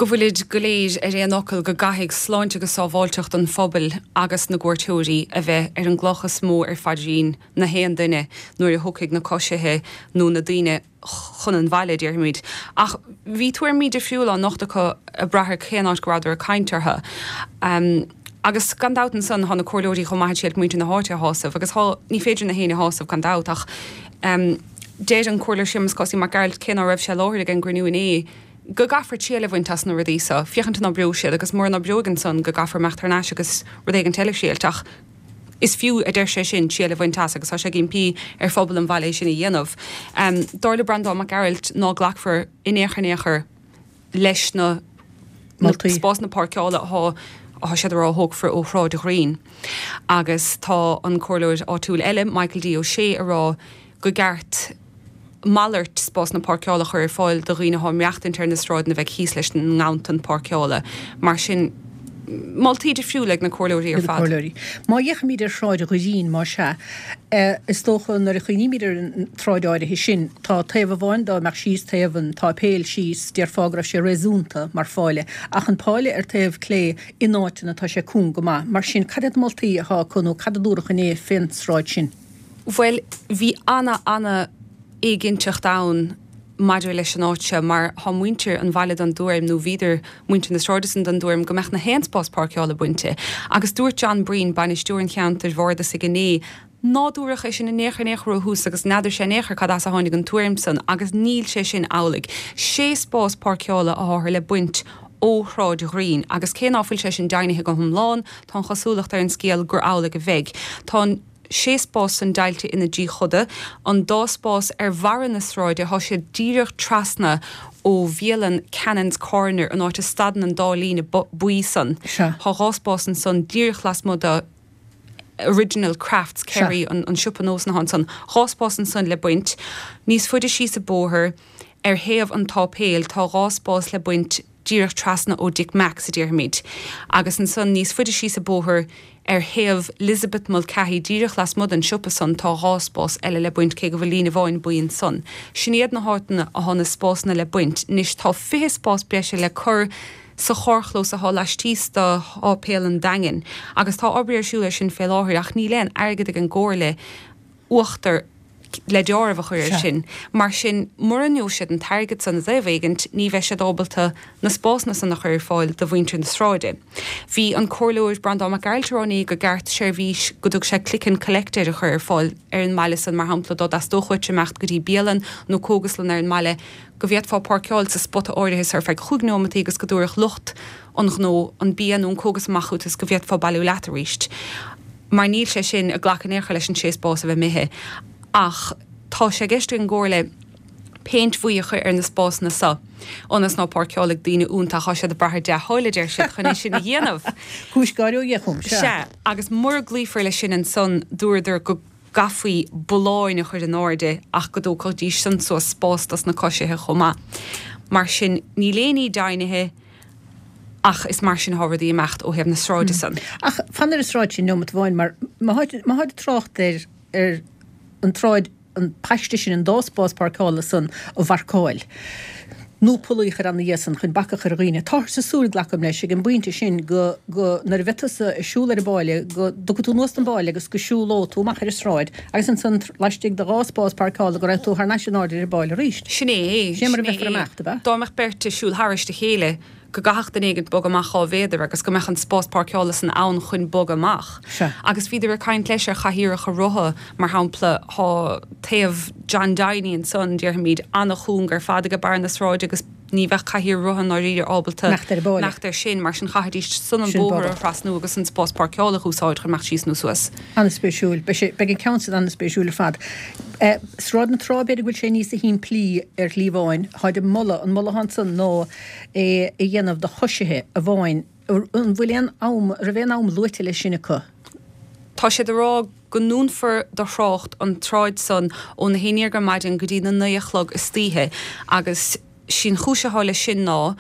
go bhfuilid go léir ar aon fhocal go gcaithfidh sláinte agus sábháilteacht an phobail agus na gcuairteoirí a bheith ar an gcloch is mó ar phaidrín na haon duine nuair a thiocfaidh na coisithe nó na daoine chun an bhaile, déarfaimid. Ach bhí tuairimí difriúla á nochtadh acu ag brath ar cén áit go rabhadar ag caint orthu. Agus gan dabht ansan thá na comhairleoirí chomh maith ag triail muintir na háite a shásamh agus thá, ní féidir na héinne a shásamh gan dabht ach deir an Comhairleoir Séamus Cosaí Mac Gearailt cé ná raibh sé i láthair ag an gcruinniú inné, go gcaithfear triail a bhaint as na rudaí so, féachaint an oibreoidh siad agus mura n-oibreoidh ansan go gcaithfear imeacht thar n-ais agus rud éigint eile a thriailt ach is fiú, a deir sé sin, triail a bhaint as agus tá sé ag impí ar phobal an bhaile é sin a dhéanamh. Dar le Breandán Mac Gearailt ná glacfar in aon chor in aon chor leis na spásanna páirceála atá atá siad a rá a thógfar ó Shráid Ghreen agus tá an comhairleoir áitiúil eile, Michael D Ó Sé, a rá go gceart malairt spásanna páirceála a chur ar fáil do dhaoine atá ag maireachtaint ar na sráideanna a bheidh thíos leis an nganntan páirceála. Mar sin, moltaí difriúla ag na comhairleoirí ar fad. Má fhéachaimid ar Shráid Ghreen, más ea, is dócha nuair a chuimhnímid ar an tsráid áirithe sin, tá taobh amháin dá mbeadh síos taobh an tsáipéil síos, déarfá go raibh sé réasúnta mar pháile, ach an páile ar taobh clé in áiteanna tá sé cúng go maith. Mar sin, cad iad na moltaí atá acu nó cad a dúradh inné fén tsráid sin? Bhuel, bhí ana, ana éiginnteacht ann maidir leis an áit seo mar thá muintir an bhaile den dtuairim, nó bhíodar, muintir na sráide san, den dtuairim go mbeadh na haon spás páirceála bainte. Agus dúirt John Breen, bainisteoir an cheantair bhardasaigh inné, ná dúradh é sin in aon chor in aon chor ó thús agus n'fheadar sé in aon chor cad as a tháinig an tuairim san agus níl sé sin amhlaidh. Sé spás páirceála atáthar le baint ó Shráid Ghreen agus cé ná fuil sé sin deimhnithe go hiomlán, tá an chosúlacht ar an scéal gur amhlaidh a bheidh. Tá an. sé spás san deighilte ina dtrí choda, an dá spás ar bharra na sráide, thá siad díreach trasna ó bhialann Cannon's Corner, an áit a stadann an dá líne buí san. Sea. Thá dhá spás ansan díreach lasmuigh de Original Crafts Kerry, an siopa nósanna athá ansan. Dhá spás ansan le baint. Níos faide síos an bóthar, ar thaobh an tsáipéil, tá dhá spás le baint díreach trasna ó Dick Mack's, a déarfaimid. Agus ansan níos faide síos an bóthar, ar thaobh Lisabeth Mulcahy, díreach lasmuigh den siopa san, tá dhá spás eile le baint, cé go bhfuil líne amháin buí ansan. Sin iad na háiteanna athá na spásanna le baint. Anois tá fiche spás breise le cur sa charrchlós athá laistíos de Sháipéal an Daingin, agus tá obair ar siúl air sin fé láthair, ach níl aon airgead ag an gComhairle uachtar le deáramh a chur air sin. Mar sin, mura ngeobhaidh siad an t-airgead san i dtaobh éigint, ní bheidh siad ábalta na spásanna san a chur ar fáil do mhuintir na sráide. Bhí an Comhairleoir Breandán Mac Gearailt ag rá inné go gceart seirbhís go dtug sé click and collect air a chur ar fáil ar an mbaile san, mar shampla, dá dteastódh uait imeacht go dtí bialann nó cógaslann ar an mbaile, go bhféadfá páirceáil sa spota áirithe so ar feadh chúig neomataí agus go dtabharfadh lucht an ghnó an bia nó an cógas amach chugat is go bhféadfá bailiú leat arís. Mar níl sé sin ag glacadh in aon chor leis an sé spás a bheith imithe. Ach tá sé i gceist ag an gComhairle péint bhuí a chur ar na spásanna so, ionas ná páirceálfaidh daoine iontu ach tá siad ag brath ar dea-thoil, a deir siad, chun é sin a dhéanamh. Cúis gáire ó dheas, sea. Sea, agus mura gcloífear leis sin ansan, dúradar go gcaithfí bolláin a chur in airde ach go dtógfaidís san suas spás dos na coisithe chomh maith. Mar sin, níl aon ní deimhnithe. Ach is mar sin atá rudaí ag imeacht ó thaobh na sráide san. Ach fan ar an sráid sin neomat amháin mar má tháid ag trácht ar ar an tsráid an paiste sin an dá spás páirceála san a mharcáil. Nó pollaí a chur ina dhiaidh san chun bac a chur ar dhaoine. Táthar ag súil, glacaim leis, ag an bpointe sin go, go, nuair a bheidh tusa ag siúl ar an bpáile, go dtiocfaidh tú anuas den bpáile agus go siúlóidh tú amach ar an sráid agus ansan laistigh de dhá spás páirceála go raibh tú thar n-ais in airde ar an bpáile arís. Sin é, Sin é mar a sin é. bheifear amach, ab ea? Dá mbeadh beirt ag siúl thairis a chéile, go gcaithfeadh duine éigin bogadh amach dhá mhéadar agus go mbeadh an spás páirceála san ann chun bogadh amach. Sea. Agus bhíodar ag caint leis ar chathaoireacha rotha, mar shampla, thá taobh John Downey ansan, déarfaimid, an-chúng ar fad ag barr na sráide agus ní bheadh cathaoir rotha ndáiríre ábalta Imeacht ar an bpáile. imeacht air sin, mar sin chaithfidís san an Sin bóthar bogadh. a thrasnú agus an spás páirceála a úsáid chun imeacht síos nó suas. An-spéisiúil. Beidh sé, beidh an ceann san an-spéisiúil ar fad. Eh, Sráid na Trá, b'fhéidir go bhfuil sé níosa shimplí ar shlí amháin. Táid ag moladh, an moladh ansan ná é a dhéanamh do choisithe amháin. An bhfuil aon am, raibh aon am luaite leis sin acu? Tá siad ag rá go ndúnfar do thrácht an tsráid san óna haon déag ar maidin go dtí na naoi a chlog istoíche agus sí'n chúis atá leis sin ná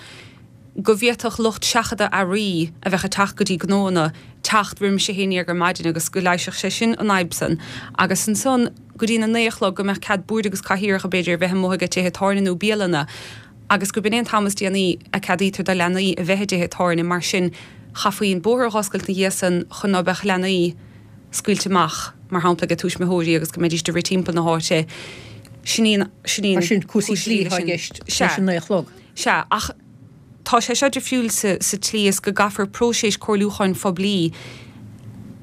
go bhféadfadh lucht seachadta earraí a bheadh ag teacht go dtí gnóanna teacht roimis a haon déag ar maidin agus go leigheasfadh sé sin an fhadhb san. Agus ansan go dtí na naoi a chlog go mbeadh cead boird agus cathaoireacha b'fhéidir a bheith amuigh ag tithe tábhairne nó bialanna agus gurb in é an t-am is déanaí a ceadaítear do leanaí a bheith i dtithe tábhairne mar sin chaithfí an bóthar a dh'oscailt ina dhiaidh san chun ná beadh leanaí scaoilte amach mar shampla ag tuismitheoirí agus go mbeidís ag rith timpeall na háite. Sin í an, sin í an Mar sin cúrsaí cúis dlí leis atá i sin. gceist Sea. leis an naoi a chlog. Sea, ach tá sé seo difriúil sa, sa tslí is go gcaithfear próiseas comhairliúcháin phoiblí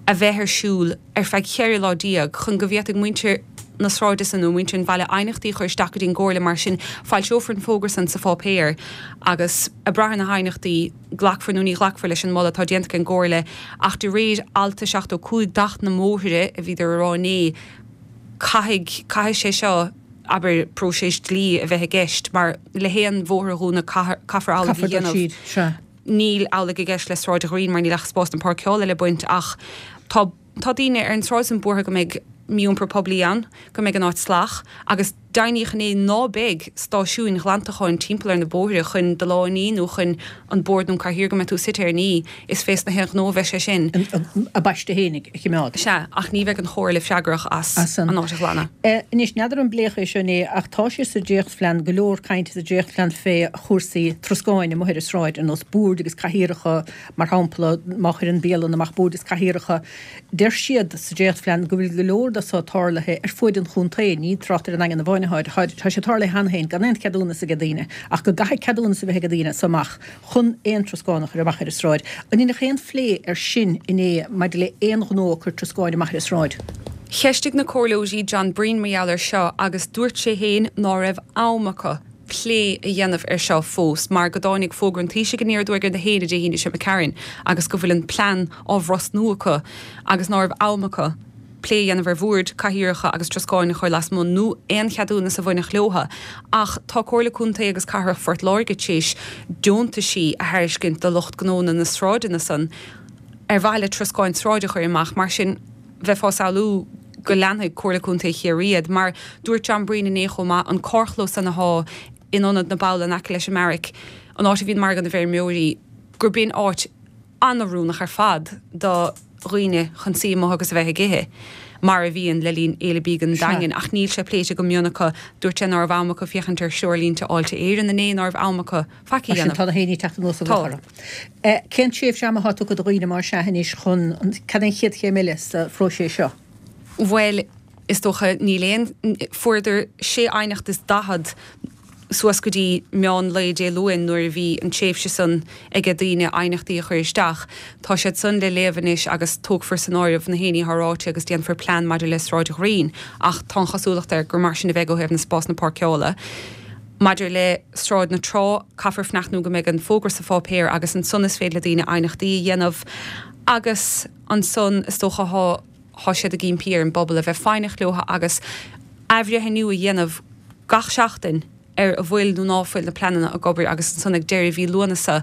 a bheith ar siúl ar feadh ceithre lá déag chun go bhféadfaidh muintir na sráide san nó muintir an bhaile aighneachtaí a chur isteach go dtí an gcomhairle mar sin foilseofar an fógra san sa pháipéar agus ag brath ar na haighneachtaí glacfar nó ní ghlacfar leis an moladh atá déanta ag an gcomhairle ach de réir alt a seachtó cúig d'Acht na mBóithre a bhíodar a rá inné caithfidh caithfidh sé seo abair próiseas dlí a bheith i gceist mar le haon bhóthar a dhúnadh caithfear amhlaidh a Caithfear dul dhéanamh. siar, sea. Níl amhlaidh i gceist le Sráid Ghrian mar níl ach spás na páirceála le baint ach tá tá daoine ar an tsráid san buartha go mbeidh mí-iompar poiblí ann, go mbeidh an áit salach agus deimhníodh inné ná beidh stáisiúin ghlantacháin timpeall ar na bóithre chun do lámha a ní nó chun an bord nó an cathaoir go mbeidh tú suite air a ní, is fés na haon ghnó a bheidh sé sin. A bpaiste fhéinig a choimeád. Sea, ach ní bheidh an chomhairle freagrach as As an an áit a ghlanadh. Anois, n'fheadar an bpléadh é seo inné ach tá sé sa dréachtphlean, go leor cainte sa dréachtphlean fé chúrsaí troscáin amuigh ar an sráid, ar nós boird agus cathaoireacha, mar shampla, má chuireann bialann amach boird is cathaoireacha. Deir siad sa dréachtphlean go bhfuil go leor de seo tarlaithe ar fuaid an chontae, ní trácht ar an nDaingean amháin atá, tá sé tarlaithe cheana féin gan aon cheadúnas ag daoine, ach go gcaithfidh ceadúnas a bheith ag daoine as so amach chun aon troscán a chur amach ar an sráid. An ndearnadh aon phlé ar sin inné maidir le aon ghnó ag cur troscáin amach ar an sráid? Cheistigh na comhairleoirí John Breen mar gheall air seo agus dúirt sé féin ná raibh am acu plé a dhéanamh ar seo fós mar go dtáinig fógra an Taoisigh aniar aduaidh ar na héine Dé hAoine seo Karen agus go bhfuil an plean á bhrosnú acu agus ná raibh am acu plé a dhéanamh ar bhoird, cathaoireacha agus troscáin a chur lasmuigh nó aon cheadúnas a bhainfeadh leotha. Ach tá Comhairle Contae agus Cathrach Phort Láirge tar éis deontaisí a thairiscint do lucht gnónna na sráideanna san ar mhaithe le troscáin sráide a chur amach mar sin bheifeá ag samhlú go leanfaidh Comhairle Contae Chiarraí iad, mar dúirt John Breen inné chomh maith an carrchlós san atá in ionad na ball in aice leis an mbeairic, an áit a bhíonn margadh na bhfeirmeoirí, gurb in áit an-oiriúnach ar fad do dhaoine chun suí amuigh agus a bheith ag ithe, mar a bhíonn le linn Fhéile Bídh an Daingin, ach níl sé pléite go mion acu. Dúirt sé ná raibh am acu féachaint ar threoirlínte Fháilte Éireann inné, ná raibh am acu faic a Mar sin dhéanamh. tá na héinní ag teacht anuas an Tá. bhóthar. Cén tréimhse ama atá tugtha do dhaoine mar sea anois chun an cad é an chéad chéim eile sa phróiseas seo? Bhuel, is dócha níl aon fuaireadar sé aighneacht is daichead suas go dtí meán lae Dé Luain nuair a bhí an tréimhse san aige daoine aighneachtaí a chur isteach. Tá siad san le léamh anois agus tógfar san áireamh na héinní atá ráite agus déanfar plean maidir le Sráid Ghrian, ach tá an chosúlacht air gur mar sin a bheidh ó thaobh na spásanna páirceála. Maidir le Sráid na Trá, caithfear fanacht nó go mbeidh an fógra sa pháipéar agus ansan is féidir le daoine aighneachtaí a dhéanamh agus ansan is dócha thá thá siad ag impí ar an bpobal a bheith foighneach leo agus athbhreithniú a dhéanamh gach seachtain ar a bhfuil nó ná fuil na pleananna ag obair agus ansan ag deireadh mhí Lúnasa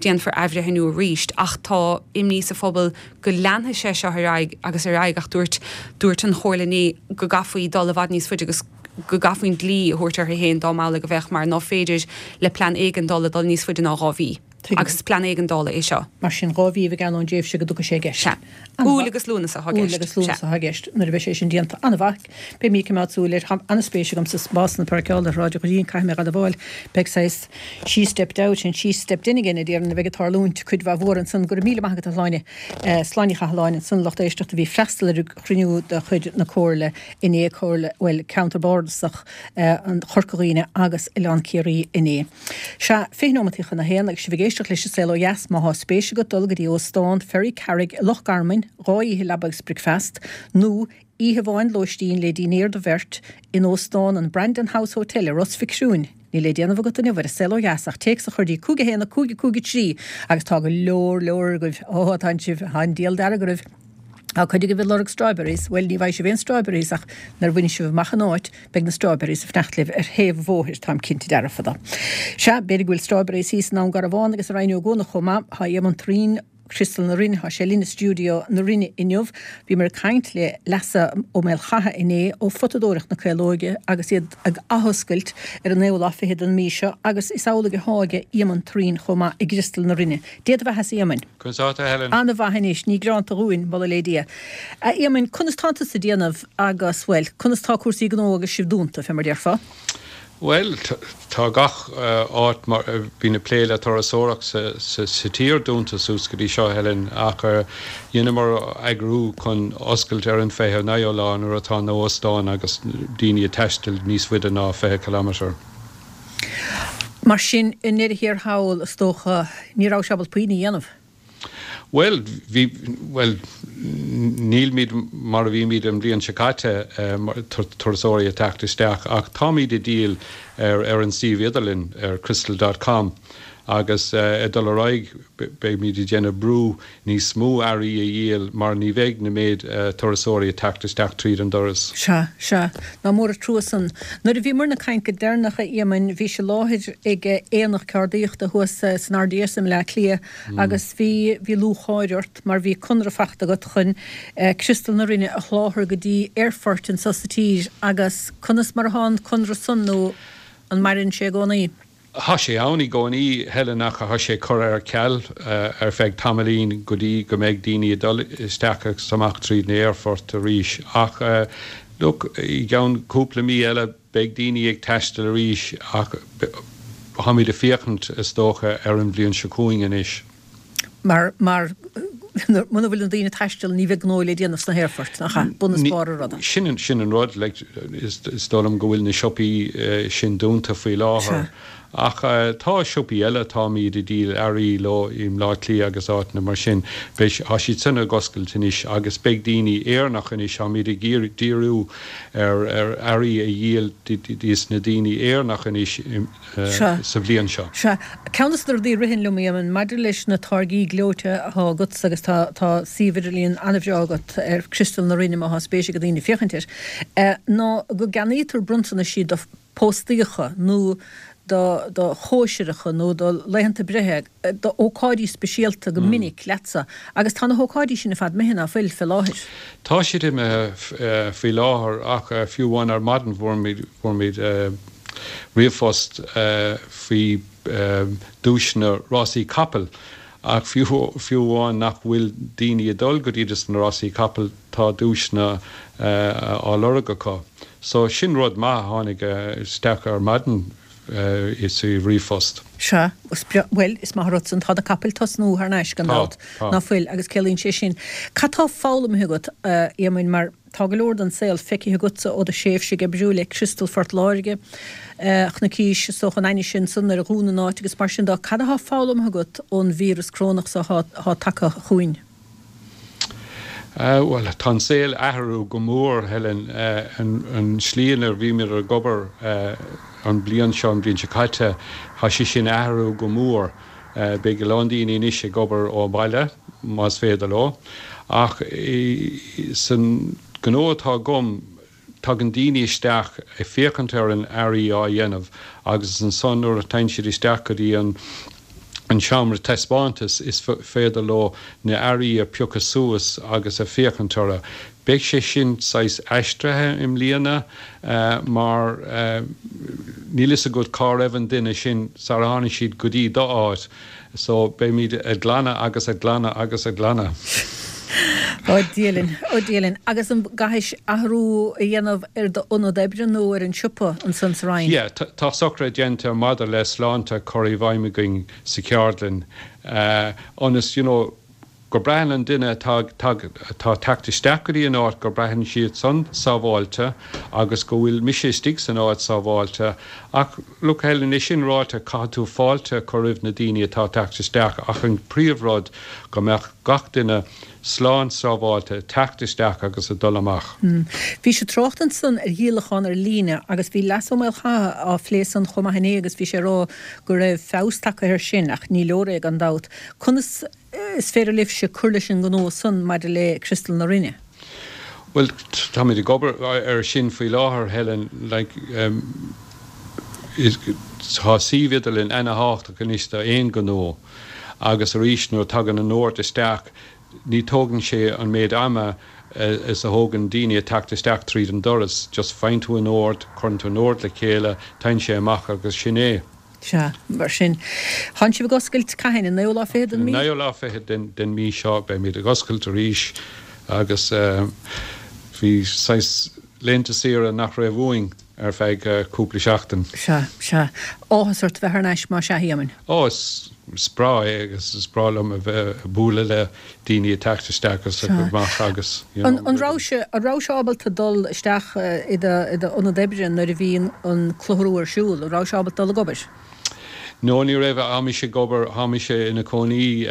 déanfar athbhreithniú arís ach tá imní sa phobal go leanfaidh sé seo ar aghaidh agus ar aghaidh ach dúirt dúirt an chomhairle inné go gcaithfí dul i bhfad níos faide agus go gcaithfí an dlí a thabhairt orthu féin dá mb'amhlaidh a bheadh mar ná féidir le plean éigeandála dul níos faide ná dhá mhí. Tuigim. Agus is plean éigeandála é seo. Mar sin dhá mhí a bheidh ann ón dtréimhse go dtiocfaidh sé i gceist. Sea. Iúil agus Lúnasa atá i Iúil agus Lúnasa atá i gceist nuair a bheidh sé sin déanta. An-mhaith. Beidh mé ag coimeád súil air. Tá an-spéis agam sa spásanna páirceála ar Shráid an Ghoirín, caithfidh mé a admháil. Beidh saghas she stepped out and she stepped in again a déarfainn a bheidh ag tarlúint cuid mhaith mhór ansan. Go raibh míle maith agat a Shláine. Sláine Ní Chathalláin ansan lucht éisteachta a bhí ag freastal ar an chruinniú de chuid na Comhairle inné, Comhairle, bhuel, Ceantar Bardasach an Chorca Dhuibhne agus Oileán Ciarraí inné. Sea, fiche nóimeataí chun a haon agus sibh ag éisteacht leis an Saol Ó Dheas. Má thá spéis agat dul go dtí Óstán Ferrycarrig i Loch Garman, dhá oíche leaba agus bricfeast, nó oíche amháin lóistín le dinnéar do bheirt in Óstán an Brandon House Hotel i Ros Mhic Thriúin, níl le déanamh agat inniu ar an Saol Ó Dheas ach téacs a chur dtí cúig a haon a cúig a cúig a trí agus tá go leor leor agaibh, ó tá sibh, tá an diabhal dearg oraibh. Tá cuid agaibh ag lorg strawberries, bhuel ní bhfaighidh sibh aon strawberries ach nuair a bhainfidh sibh amach an áit beidh na strawberries ag fanacht libh ar thaobh an bhóthair, táim cinnte dearfa de. Sea, b'fhéidir go bhfuil strawberries thíos i nDún Garbhán agus i Rinn Ó gCuanach chomh maith. Tá Éamonn Turraoin, Criostal na Rinne, tá sé linn i stiúideo na Rinne inniu. Bhíomar ag caint le Leasa Ó Maolchatha inné ó Photadóireacht na Caolóige agus iad ag athoscailt ar an naoú lá fichead den mhí seo agus is amhlaidh atá ag Éamonn Turraoin chomh maith i gCriostal na Rinne. Dé do bheatha-sa a Éamoinn. Conas tá tú, a Helen? An-mhaith anois, ní gearánta dhúinn, moladh le Dia. A Éamoinn, conas tánn tusa ag déanamh agus, bhuel, conas tá cúrsaí gnó agus sibh dúnta, fé mar déarfá? Bhuel, tá gach áit mar a bhíonn ag plé le turasóireacht sa tír dúnta suas go dtí seo, Helen, ach dheineamar eagrú chun oscailt ar an fiche naoú lá nuair atá na hóstáin agus daoine ag taisteal níos faide ná fiche kilometre. Mar sin, i ndeireadh thiar thall, is dócha, ní raibh sibh ábalta puinn a dhéanamh. Bhuel, bhí, bhuel, nílimid mar a bhímid an bhliain seo caite, turasóirí ag teacht isteach, ach táimid ag díol ar, ar an suíomh idirlín, ar crystal dot com, agus ag dul ar aghaidh beimid ag déanamh brú níos mó earraí a dhíol mar ní bheidh na méid turasóirí ag teacht isteach tríd an doras. Sea, sea. Nach mór an trua san. Nuair a bhíomarna ag caint go deireanach, a Éamoinn, bhís i láthair ag aonach ceardaíochta thuas san RDS i mBleá Cliath agus bhí, bhí lúcháir ort mar bhí conradh fachta agat chun Criostal na Rinne a sholáthar go dtí aerfoirt anso sa tír agus conas mar atá an conradh san nó an maireann sé i gcónaí? Tá sé ann i gcónaí, Helen, ach tá sé curtha ar ceal ar feadh tamaillín go dtí go mbeidh daoine ag dul isteach agus amach tríd na aerfoirt arís. Ach look, i gceann cúpla mí eile beidh daoine ag taisteal arís ach táimid ag féachaint, is dócha, ar an bhliain seo chugainn anois. Mar, mar, muna bhfuil na daoine ag taisteal ní bheidh gnó le déanamh sna haerfoirt, nach ea? Bun is barr an ruda. Sin an, sin an rud, like, is, is dóigh liom go bhfuil na siopaí sin dúnta faoi láthair. Ach tá siopaí eile, táimid ag díol earraí leo i mBleá Cliath agus áiteanna mar sin. Beidh, tá siad san ag oscailt anois agus beidh daoine Éireannach anois, táimid ag iarraidh díriú ar, ar earraí a dhíol dos na daoine Éireannach anois i, sa bhliain seo. Sea. Ceann de na rudaí a ritheann liom, a Éamoinn, maidir leis na táirgí gleoite atá agatsa agus tá tá suíomh idirlíon an-bhreá agat ar Criostal na Rinne má thá spéis ag daoine féachaint air, ná go gceannaítear bronntanaisí do phóstaíocha nó do do chóisireacha nó do laethanta breithe, do ócáidí speisialta go minic leatsa agus tá na hócáidí sin ar fad imithe, ná fuil, fé láthair? Tá siad imithe faoi láthair ach fiú amháin ar maidin fuair muid fuair muid ríomhphost faoi duaiseanna rásaí capall ach fiú fiú amháin nach bhfuil daoine ag dul go dtí dos na rásaí capall tá duaiseanna á lorg acu. So sin rud maith a tháinig isteach ar maidin sa ríomhphost. Sea, is breá, bhuel, is maith an rud san, tá na capaill tosnú thar n-ais gan dabht, ná fuil, agus ciallaíonn sé sin. Cad tá foghlamtha agat, a Éamoinn, mar tá go leor den saol feicthe agatsa ó do thréimhse ag oibriú le Criostal Phort Láirge, chonaicís, is dócha, an ainnise ansan nuair a dhún an áit agus mar sin de. Cad atá foghlamtha agat ón víreas corónach so atá tagtha chugainn? Bhuel, tá an saol athrú go mór, Helen. An slí inar bhímid ag obair an bliain seo, an bhliain seo caite, tá sé sin athrú go mór. Beidh a lán daoine anois ag obair ó bhaile, más féidir leo. Ach san gnó atá agam, tagann daoine isteach ag féachaint ar an earraí á dhéanamh agus ansan nuair a théann siad isteach go dtí an an seomra taispeántais is féidir leo na earraí a piocadh suas agus a féachaint orthu. Beidh sé sin saghas aistrithe i mbliana mar níl fhios agat cá raibh an duine sin sara tháinig siad go dtí do áit so beimid ag glanadh agus ag glanadh agus ag glanadh. Ó Dia linn, ó Dia linn. Agus an gcaithfidh athrú a dhéanamh ar d'ionad oibre nó ar an siopa ansan sa Rinn? Yeah, tá socruithe déanta maidir le sláinte curtha i bhfeidhm againn sa cheardlann ionas, you know, go mbraitheann an duine atá atá ag teacht isteach go dtí an áit go mbraitheann siad san sábháilte agus go bhfuil mise istigh san áit sábháilte ach look Helen, é sin ráite caithfidh tú fáilte a chur roimh na daoine atá ag teacht isteach ach an príomhrud go mbeadh gach duine slán sábháilte ag teacht isteach agus ag dul amach. Bhí sé trácht ansan ar dhíolachán ar líne agus bhí Leas Ó Maolchatha á phlé san chomh maith inné agus bhí sé ag rá go raibh feabhas tagtha air sin ach ní leor é gan dabht. Conas is féidir libhse cur leis an ngnó san maidir le Criostal na Rinne? Bhuel, táimid ag obair air sin faoi láthair, Helen. Like, tá suíomh idirlín ana-thábhachtach anois d'aon ghnó agus arís nuair a tagann an ord isteach ní tógann sé an méid ama is a thógann daoine ag teacht isteach tríd an doras, just faigheann tú an ord, cuireann tú an ord le chéile, téann sé amach agus sin é. Sea, mar sin. Tánn sibh ag oscailt cathain? An naoú lá fichead den mhí? An naoú lá fichead den mhí seo beimid ag oscailt arís agus bhí saghas laethanta saoire nach raibh uainn ar feadh cúpla seachtain. Sea, sea. Áthas ort bheith thar n-ais más ea, a Éamainn? Ó, is breá é agus is breá liom a bheith ag bualadh le daoine ag teacht isteach agus amach agus, you know. An raibh sé, an raibh sé ábalta dul isteach i do, i d'ionad oibre nuair a bhí an clutharú ar siúl? An raibh sé ábalta dul ag obair? No, ní raibh. Tá mise ag obair, tá mise ina cónaí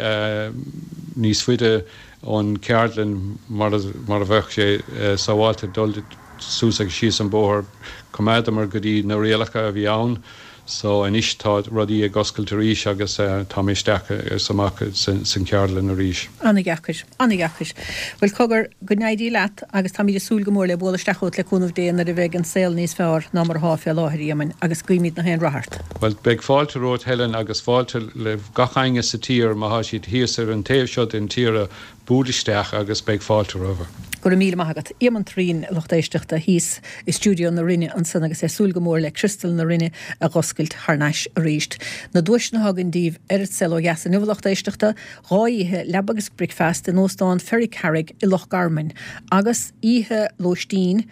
níos faide ón cheardlann mar a bheadh sé sábháilte dul suas agus síos an bóthar. Choimeádamar go dtí na rialacha a bhí ann so anois tá rudaí ag oscailt arís agus tá mé isteach is amach san cheardlann arís. An-dheacair. An-dheacair. Bhuel, cogar, go n-éirí leat agus táimid ag súil go mór le bualadh isteach chugat le cúnamh Dé nuair a bheidh an saol níos fearr ná mar atá fé láthair, a Éamainn, agus guímid na haon rath ort. Bhuel, beidh fáilte romhat, Helen, agus fáilte le gach éinne sa tír má thá siad thíos ar an taobh seo den tír buail isteach agus beidh fáilte rompu. Go raibh míle maith agat. Éamonn Thureen, a lucht éisteachta, thíos i stiúideo na Rinne ansan agus é ag súil go mór le Criostal na Rinne a dh'oscailt thar n-ais arís. Na duaiseanna atá againn daoibh ar An Saol Ó Dheas inniu, a lucht éisteachta, dhá oíche leaba agus bricfeasta in Óstán Ferrycarrig i Loch Garman agus oíche lóistín,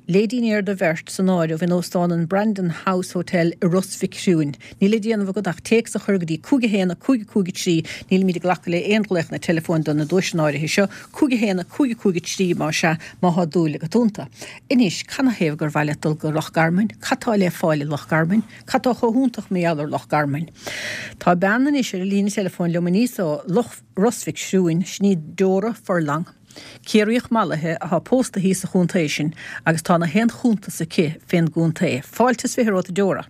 Le dinnéar do bheirt san áireamh in Óstán an Brandon House Hotel i Ros Mhic Thriúin. Níl le déanamh agat ach téacs a chur go dtí cúig a haon a cúig a cúig a trí, nílimid ag glacadh le aon ghlaochanna teileafóin do na duaiseanna áirithe seo, cúig a haon a cúig a cúig a trí más ea, má thá dúil agat iontu. Anois, canathaobh gur mhaith leat dul go Loch Garman? Cad tá le fáil i Loch Garman? Cad tá chomh hiontach mar gheall ar Loch Garman? Tá bean anois ar an líne teileafóin liom aníos ó Loch Ros Mhic Thriúin, sin í Deora Furlong. Ciarraíoch mallaithe athá pósta thíos sa chontae sin agus tá na haon chuntas aici fén gcontae. Fáilte is fiche romhat a Deora.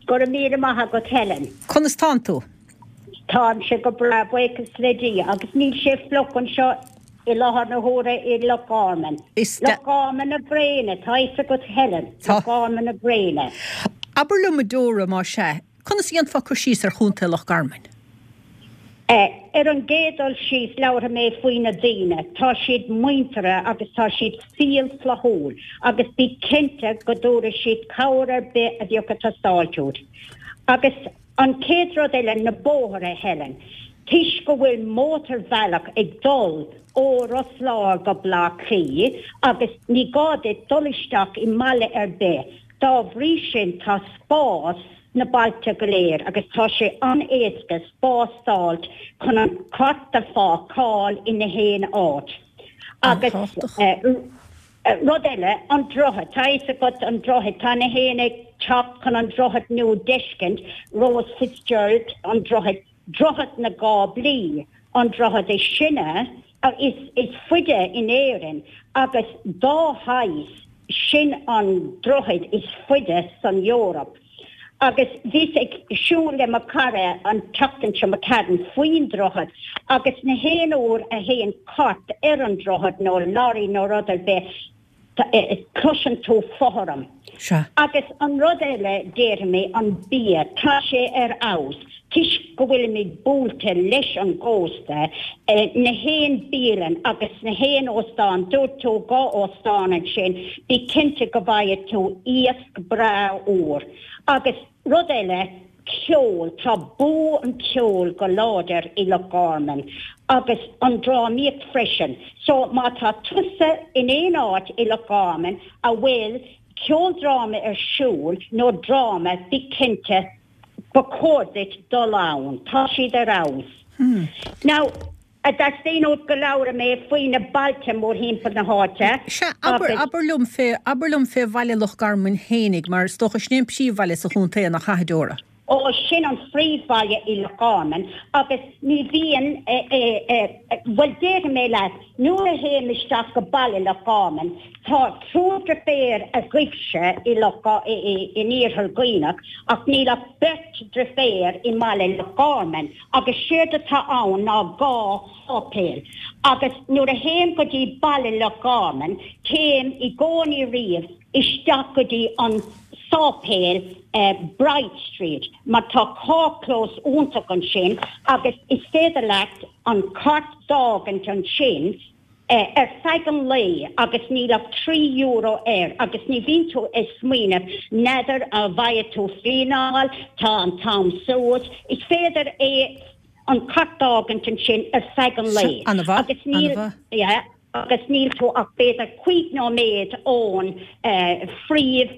Go raibh míle maith agat Helen. Conas tánn tú? Táimse go breá, buíochas le Dia, agus níl sé fliuch anseo i láthair na huaire i Loch Garman. Is Loch Garman na gréine, tá fhios agat Helen, Loch Garman na gréine. Abair liom a Deora, más ea, Conas a dhéanfá cur síos ar Chontae Loch Garman? Ar an gcéad dul síos, labharfaidh mé faoi na daoine. Tá siad muinteartha agus tá siad fial flaithiúil agus bí cinnte go dtabharfaidh siad cabhair ar bith a bheadh ag teastáilt uait. Agus an chéad rud eile, na bóithre, Helen. Toisc go bhfuil mótarbhealach ag dul ó Ros Láir go Bleá Cliath agus ní gá duit dul isteach i mbaile ar bith, dá bhrí sin tá spás sna bailte go léir agus tá sé an-éasca spás d'fháilt chun an cairt a pháirceáil i na haon áit. Agus rud eile, an droichead, tá fhios agat an droichead, tá na haon ag teacht chun an droichead nua d'fheiscint, Rose Fitzgerald, an droichead, Droichead na gCáblaí, an droichead is sine, is is faide in Éirinn agus dá shaghas, sin an droichead is faide san Eoraip. Agus bhíos ag siúl le mo chara an tseachtain seo, McCadden, faoin droichead agus na haon uair a théann cairt ar an droichead nó lorry nó rud ar bith, cloiseann tú fothram. Sea. Agus an rud eile, déarfaidh mé, an bia, tá sé ar fheabhas. Toisc go bhfuilimid buailte leis an gcósta, na haon bialann agus na haon óstán, dúirt tú dhá óstán ansin, bí cinnte go bhfaighidh tú iasc breá úr. Agus rud eile, ceol, tá bua an cheoil go láidir i Loch Garman agus an drámaíocht freisin. So má tá tusa in aon áit i Loch Garman a bhfuil ceoldráma ar siúl nó dráma, bí cinnte ba chóir duit dul ann, tá siad ar fheabhas. Now, a dteastaíonn uait go labhróidh mé faoi na bailte mórthimpeall na háite Sea, abair, agus. abair liom fé, abair liom fé bhaile Loch Garman fhéinig, mar is dócha sin é an príomhbhaile sa chontae, nach ea, a Dheora? Ó, sin an phríomhbhaile i Loch Garman agus ní bhíonn, bhuel déarfaidh mé leat, nuair a théim isteach go baile Loch Garman, tá triúr deirféar agaibhse i Loch, in Iarthar Dhuibhneach ach níl ach beirt deirféar i mbaile Loch Garman agus séard atá ann ná dhá sháipéal agus nuair a théim go dtí baile Loch Garman téim i gcónaí riamh isteach go dtí an sáipéal Bride Street mar tá carrchlós iontach ansin agus is féidir leat an cairt d'fhágaint ansin ar feadh an lae agus níl ach trí euro air agus ní bhíonn tú ag smaoineamh n'fheadar an bhfaighidh tú fíneáil, tá an t-am suas, is féidir é an cairt d'fhágaint ansin ar feadh an lae agus níl, yeah. agus níl tú ach b'fhéidir cúig nóiméad ón phríomh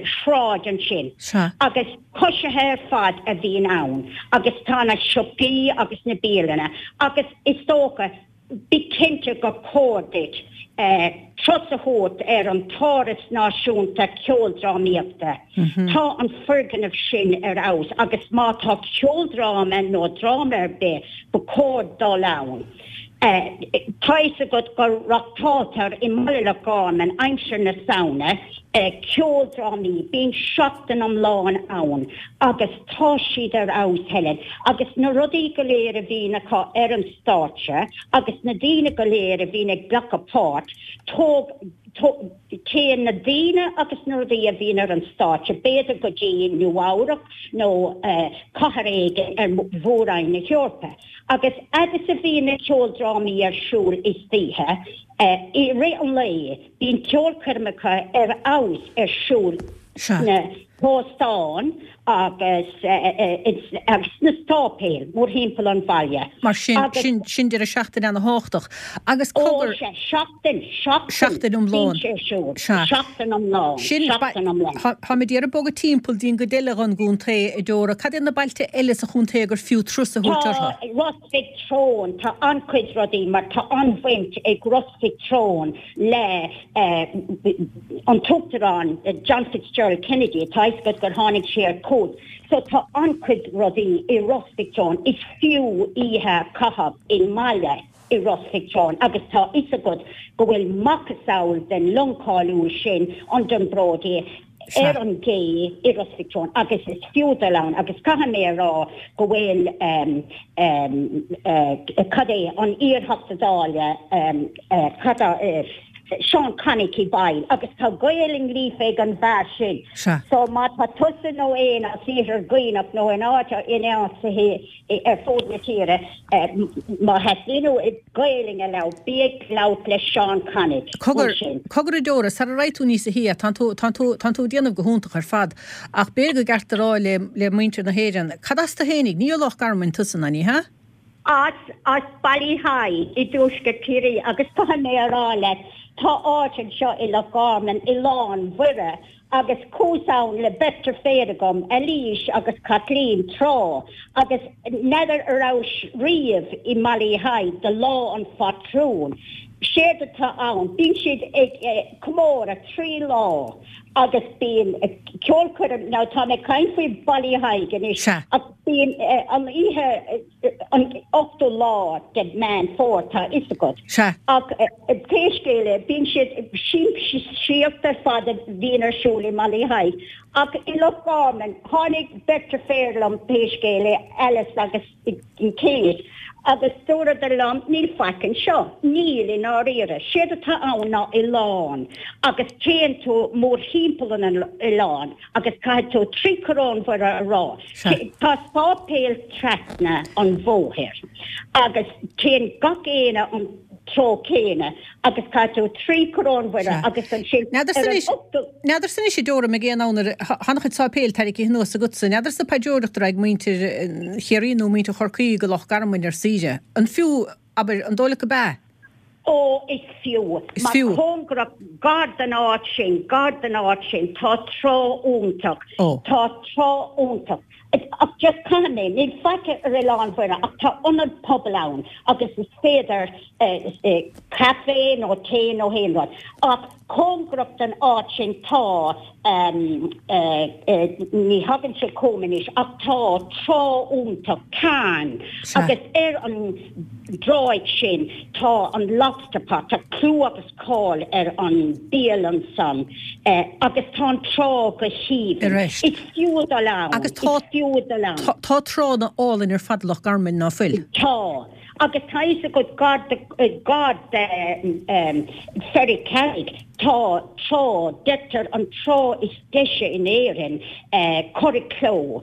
shráid ansin. Agus coisithe ar fad a bhíonn ann agus tá na siopaí agus na bialanna agus is dócha, bí cinnte gur chóir duit turas a thabhairt ar an tÁras Náisiúnta Ceoldrámaíochta. Tá an foirgneamh sin ar fheabhas agus má tá ceoldráma nó dráma ar bith, ba chóir dul ann. Tá fhios agat go reáchtáiltear i mBaile Loch Garman aimsir na Samhna ceoldrámaí, bíonn seachtain iomlán ann agus tá siad ar fheabhas, Helen, agus na rudaí go léir a bhíonn acu ar an stáitse agus na daoine go léir a bhíonn ag glacadh páirt, tóg, téann na daoine agus na rudaí a bhíonn ar an stáitse b'fhéidir go dtí Nua-Eabhrac nó cathair éigin ar Mhór-Roinn na hEorpa. Agus fhad is a bhíonn na ceoldrámaí ar siúl istoíche, i rith an lae, bíonn ceolchoirmeacha ar fheabhas ar siúl sna hóstáin agus sna sáipéil mórthimpeall an bhaile. Mar sin, sin, sin deireadh seachtaine ana-thábhachtach. Agus cogar. Ó, sea, seachtain, seachtain, Seachtain iomlán. bíonn sé ar siúl. Sea. Seachtain iomlán, Sin, seachtain iomlán. Táimid ag iarraidh bogadh timpeall dtí'n gcuid eile den gcontae, a Deora. Cad iad na bailte eile sa chontae gur fiú turas a thabhairt Tá orthu? Ros Mhic Treoin, tá an-chuid rudaí mar tá an-bhaint ag Ros Mhic Treoin le an tUachtarán John Fitzgerald Kennedy, tá fhios agat gur tháinig sé ar cuairt. So tá an-chuid rudaí i Ros Mhic Treoin, is fiú oíche a chaitheamh i mbaile i Ros Mhic Treoin agus tá fhios agat go bhfuil macasamhail den long cáiliúil sin, an Dunbrody, ar an gcé i Ros Mhic Treoin agus is fiú dul ann agus caithfidh mé a rá go bhfuil cad é an iar-Theachta Dála cad é Seán Connick i bhfeighil agus tá Gaelainn líofa ag an bhfear sin so má tá tusa nó éinne as Iarthar Dhuibhneach nó in áit in áit ar fud na tíre má theastaíonn uait Gaelainn a labhairt, bí ag labhairt le Seán Connick Cogar, ansin. cogar a Deora, sara raghaidh tú níosa shia, tánn tú, tánn tú, tánn tú ag déanamh go hiontach ar fad, ach b'fhéidir gur ceart a rá le, le muintir na hÉireann, cad as tú fhéinig? Ní ó Loch Garman tusa, ná ní hea? As, as Ballyheigue i dtuaisceart Chiarraí agus caithfidh mé a rá leat, tá áit anseo i Loch Garman, Oileán Mhuire, Agus chuas ann le beirt deirféar agam, Eilís agus Caitlín, tráth, agus n'fheadar a rabhais riamh i mBallyheigue do Lá an Phatrúin. Séard atá ann, bíonn siad ag comóradh trí lá agus bíonn ceolchoirm, now tá mé ag caint faoi Ballyheigue anois, Sea. ach bíonn an oíche, an ochtú lá de Meán Fómhair, tá a fhios agat. Sea. Ach pé scéal é, bíonn siad siamsaíocht ar fad a bhíonn ar siúl i mBallyheigue. Ach i Loch Garman, tháinig beirt deirféar liom, pé scéal é, Alice agus Kate, agus dúradar liom, níl faic anseo. Níl, i ndáiríre. Séard atá ann ná oileán, agus téann tú mórthimpeall an oileáin agus caithfidh tú trí Choróin Mhuire a rá. Sea. Tá sáipéal trasna an bhóthair agus téann gach éinne an treo céanna agus caithfidh tú trí Choróin Mhuire agus ansin N'fheadarsa anois, n'fheadarsa anois a Deora ag aon am nuair a, tá an-chuid sáipéil tarraingthe anuas agatsa, n'fheadarsa paidreoireacht a raghaidh muintir Chiarraí nó muintir Chorcaí go Loch Garman ar saoire. An fiú, abair, an dóigh leat gurb ea? Ó, is fiú. Is Mar fiú. cóngarach, gar don áit sin, gar don áit sin, tá trá iontach. Ó. Tá trá iontach. Ach just caithfidh mé, níl faic ar Oileán Mhuire ach tá ionad pobail ann agus is féidir caife nó tae nó aon rud. Ach cóngarach don áit sin tá, ní thagann sé chugam anois, ach tá trá iontach, carn, agus ar an dtráigh sin tá an Lobster Pot, tá clú agus cáil ar an bialann san agus tá an trá go haoibhinn. Is fiú dul ann. Agus tá Is fiú dul ann. Tá tránna álainn ar fad i Loch Garman, ná fuil? Tá. Agus tá fhios agat gar do gar do Ferrycarrig tá trá, deirtear an trá is deise in Éirinn, Curracloe.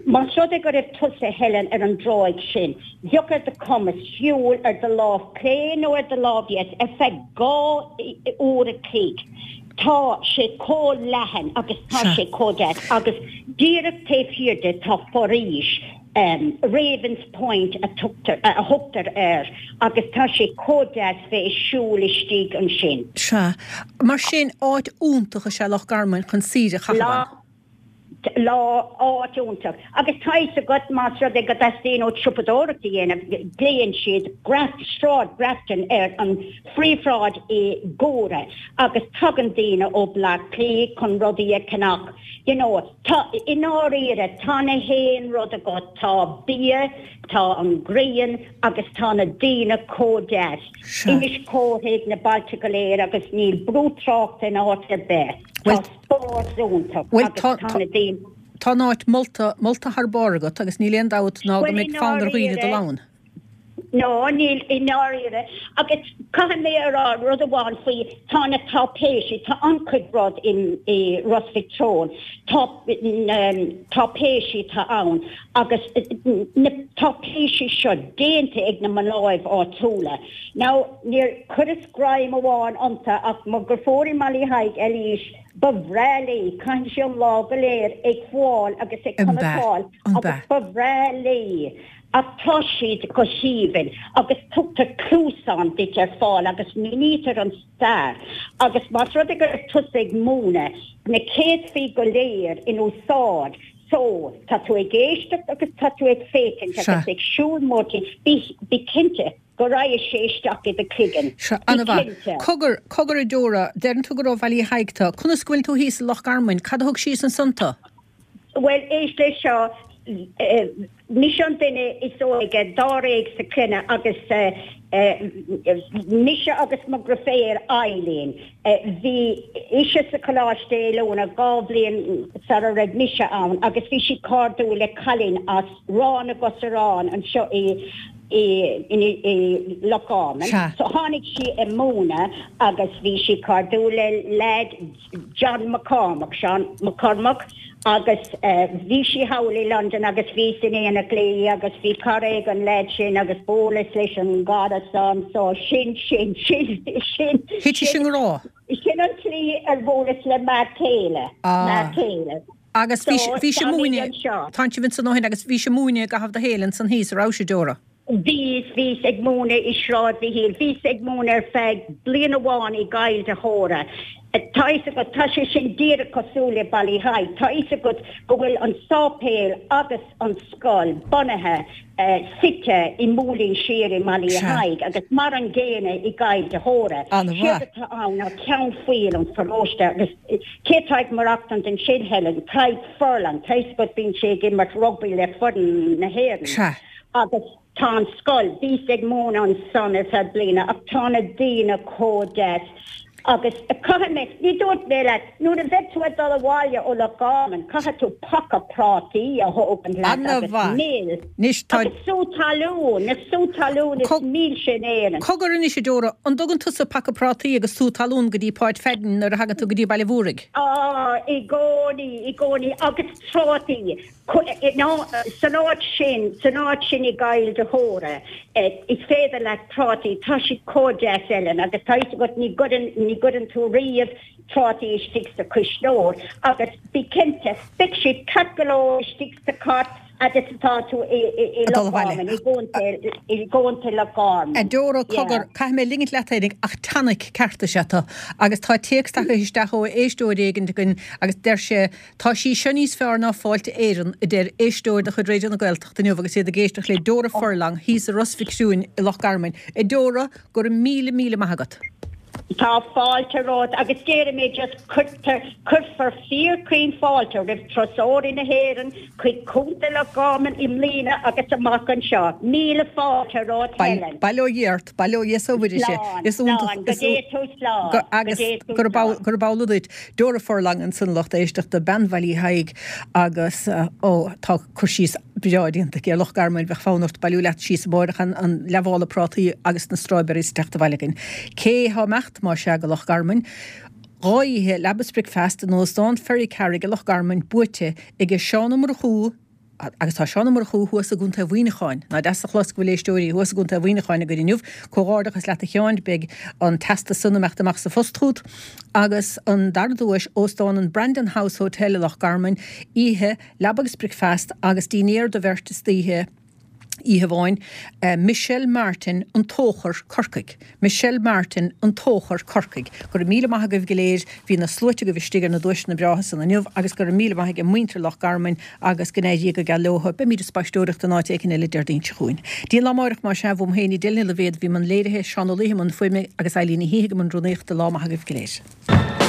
Más rud é go raibh tusa, Helen, ar an dtráigh sin, bheadh ar do chumas siúl ar do lámh chlé nó ar do lámh dheis ar feadh dhá uair a chloig. Tá sé chomh leathan agus tá Sea. sé chomh deas agus díreach taobh thiar de tá foraois, Ravens Point a tugtar, a thugtar air agus tá sé chomh deas bheith ag siúl istigh ansin. Sea. Mar sin, áit iontach is ea Loch Garman chun saoire a chaitheamh ann. Lá, áit iontach. Agus tá fhios agat, más rud é go dteastaíonn uait siopadóireacht a dhéanamh, glaonn siad Sráid Grafton ar an phríomhshráid i gCora agus tagann daoine ó Bleá Cliath chun rudaí a cheannach. You know, tá, i ndáiríre, tá na haon rud agat, tá bia, tá an ghrian agus tá na daoine chomh deas. Sea. Inis Córthaidh, na bailte go léir agus níl brú tráchta in áit ar bith. Bhuel, Tá spás iontach bhuel, agus tá, tá tá, na daoine. tá an áit molta, molta thar barr agat agus níl aon dabht ná go Bhuel, i mbeidh fonn ar dhaoine dul ndáiríre, ann. no, níl, i ndáiríre. Agus caithfidh mé a rá rud amháin faoi, tá na táipéisí, tá an-chuid rud in, i Ros Mhic Treoin, tá na táipéisí atá ann agus na táipéisí seo déanta ag na mnáibh áitiúla. Now, níor chuireas greim amháin iontu ach mo dheirfiúr i mBaile Thaidhg, Eilís, ba bhreá léi, caitheann sí an lá go léir ag fuáil agus ag An bea? cniotáil An agus bea? ba bhreá léi. Ach tá siad go haoibhinn agus tugtar cluasán duit ar fáil agus mínítear an stair agus más rud é go raibh tusa ag múineadh, na céadfaí go léir in úsáid so tá tú ag éisteacht agus tá tú ag féachaint Sea. agus ag siúl mórthimpeall, bí, bí cinnte go raghaidh sé isteach i do chloigeann. Sea, Bí an-mhaith. cinnte. Cogar, cogar a Deora, deireann tú gur ó Bhaile Thaidhg tú. Conas go bhfuil tú thíos i Loch Garman? Cad a thug síos ansan tú? Bhuel, éist leis seo, mise an duine is óige dáréag sa chlann agus mise agus mo dheirfiúr Eileen. Bhí ise sa choláiste oiliúna dhá bhliain sara raibh mise ann agus bhí sí cairdiúil le cailín as Ráth na gCosarán anseo i i Loch Garman. Sea. So tháinig sí ag múineadh agus bhí sí cairdiúil le leaid John McCormack, Seán McCormack, agus bhí sí thall i Londain agus bhíos in éineacht léi agus bhí cara ag an leaid sin agus bhuaileas leis an gcara san so sin, sin, sin, sin, Thit sibh i sin, ngrá. sin an tslí ar bhuaileas le m'fhear céile, Ah. m'fhear céile. Agus bhí So bhí sibh táimid múineadh, anseo. tánn sibh ansan ó shin agus bhís ag múineadh i gcaitheamh do shaoil ansan thíos, a raibh, a Deora? Bhíos, bhíos ag múineadh i Sráid Mhichíl, bhíos ag múineadh ar feadh bliain amháin i gCoill de hÓra. Tá fhios agat, tá sé sin díreach cosúil le Baile Thaidhg, tá fhios agat go bhfuil an sáipéal agus an scoil bunaithe, suite i Móilín Siar i mBaile Sea. Thaidhg agus mar an gcéanna i gCoill de hÓra. An-mhaith. Séard atá ann ná ceann faoil an pharóiste agus cé atá ag maireachtaint ansin, Helen? Tadhg Furlong, tá fhios agat bíonn sé ag imirt rugbaí le foireann na hÉireann. Sea. Agus tá an scoil, bhíos ag múineadh ansan ar feadh bliana ach tá na daoine chomh deas. Agus caithfidh mé, ní dúirt mé leat, nuair a bheidh tú ag dul abhaile ó Loch Garman, caithfidh tú paca prátaí a thógaint leat agus mil. Anois tá. Agus sú talún, na sú talún is milse in Éirinn. Cogar anois, a Dora, an dtugann tusa paca prátaí agus sú talún go dtí Páid Pheaidín nuair a thagann tú go dtí Baile Mhúraigh? Á, i gcónaí, i gcónaí, agus trátaí. San áit sin, san áit sin i gCoill de hÓra, is féidir leat prátaí, tá siad chomh deas, Ellen, agus tá fhios agat ní gcuireann, ní gcuireann tú riamh trátaí istigh sa chuisneoir agus bí cinnte, beidh siad ceart go leor istigh sa chairt fhad is atá tú i, i, i Loch Garman, i gContae, i gContae Loch Garman. A Dora, cogar, caithfidh mé ligint leat féinig ach tonic ceart is ea tú agus tá téacs tagtha isteach ó éisteoir éigin againn agus deir sé, Tá sí seo níos fearr ná Fáilte Éireann, a deir éisteoir de chuid Raidió na Gaeltachta inniu agus iad ag éisteacht le Dora Furlong thíos i Ros Mhic Thriúin i Loch Garman. A Dora, go raibh míle míle maith agat. Tá fáilte romhat agus déarfaidh mé just cuirtear, cuirfear fíorchaoin fáilte roimh turasóirí na hÉireann chuig Contae Loch Garman i mbliana agus amach anseo. Míle fáilte romhat Helen. Bail ó Dhia ort, bail ó Dhia is ó Mhuire sé. Slán, Is iontach, slán, go is dté tú slán, go agus dté tú gurb slán. gurb amhlaidh duit. Dora Furlong ansan a lucht éisteachta, bean Bhaile Uí Thaidhg agus ó tá cur síos breá déanta aici ar Loch Garman, bheadh fonn ort bailiú leat síos amárach an an leathmhála prátaí agus na strawberries teacht abhaile againn. Cé thá imeacht más ea go Loch Garman? Dhá oíche leaba is bricfeasta in Óstán Ferrycarrig i Loch Garman buaite aige Seán Ó Murchú, Agus tá Seán Ó Murchú thuas i gContae Mhuineacháin. Nach deas a chlos go bhfuil éisteoirí thuas i gContae Mhuineacháin againn inniu. Comhghairdeachas leat a Sheáin, beidh an teastas san imeacht amach sa phost chugat. Agus an dara duais, Óstán an Brandon House Hotel i Loch Garman, oíche, leaba agus bricfeasta agus dinnéar do bheirt istoíche, oíche amháin. Michelle Martin, An Tóchar, Corcaigh. Michelle Martin, An Tóchar, Corcaigh. Go raibh míle maith agaibh go léir, bhí na sluaite agaibh istigh ar na duaiseanna breátha san inniu agus go raibh míle maith ag muintir Loch Garman agus go n-éirí go geal leothu. Beimid ag spaisteoireacht in áit éicin eile Déardaoin seo chugainn. Dtí an lá amáireach más ea, uaim féin Edel Ní Loibhéad a bhí i mbun léirithe, Seán Ó Laoithe i mbun fuaime agus Eileen Ní Shíthigh i mbun rúnaíochta. Lá maith agaibh go léir.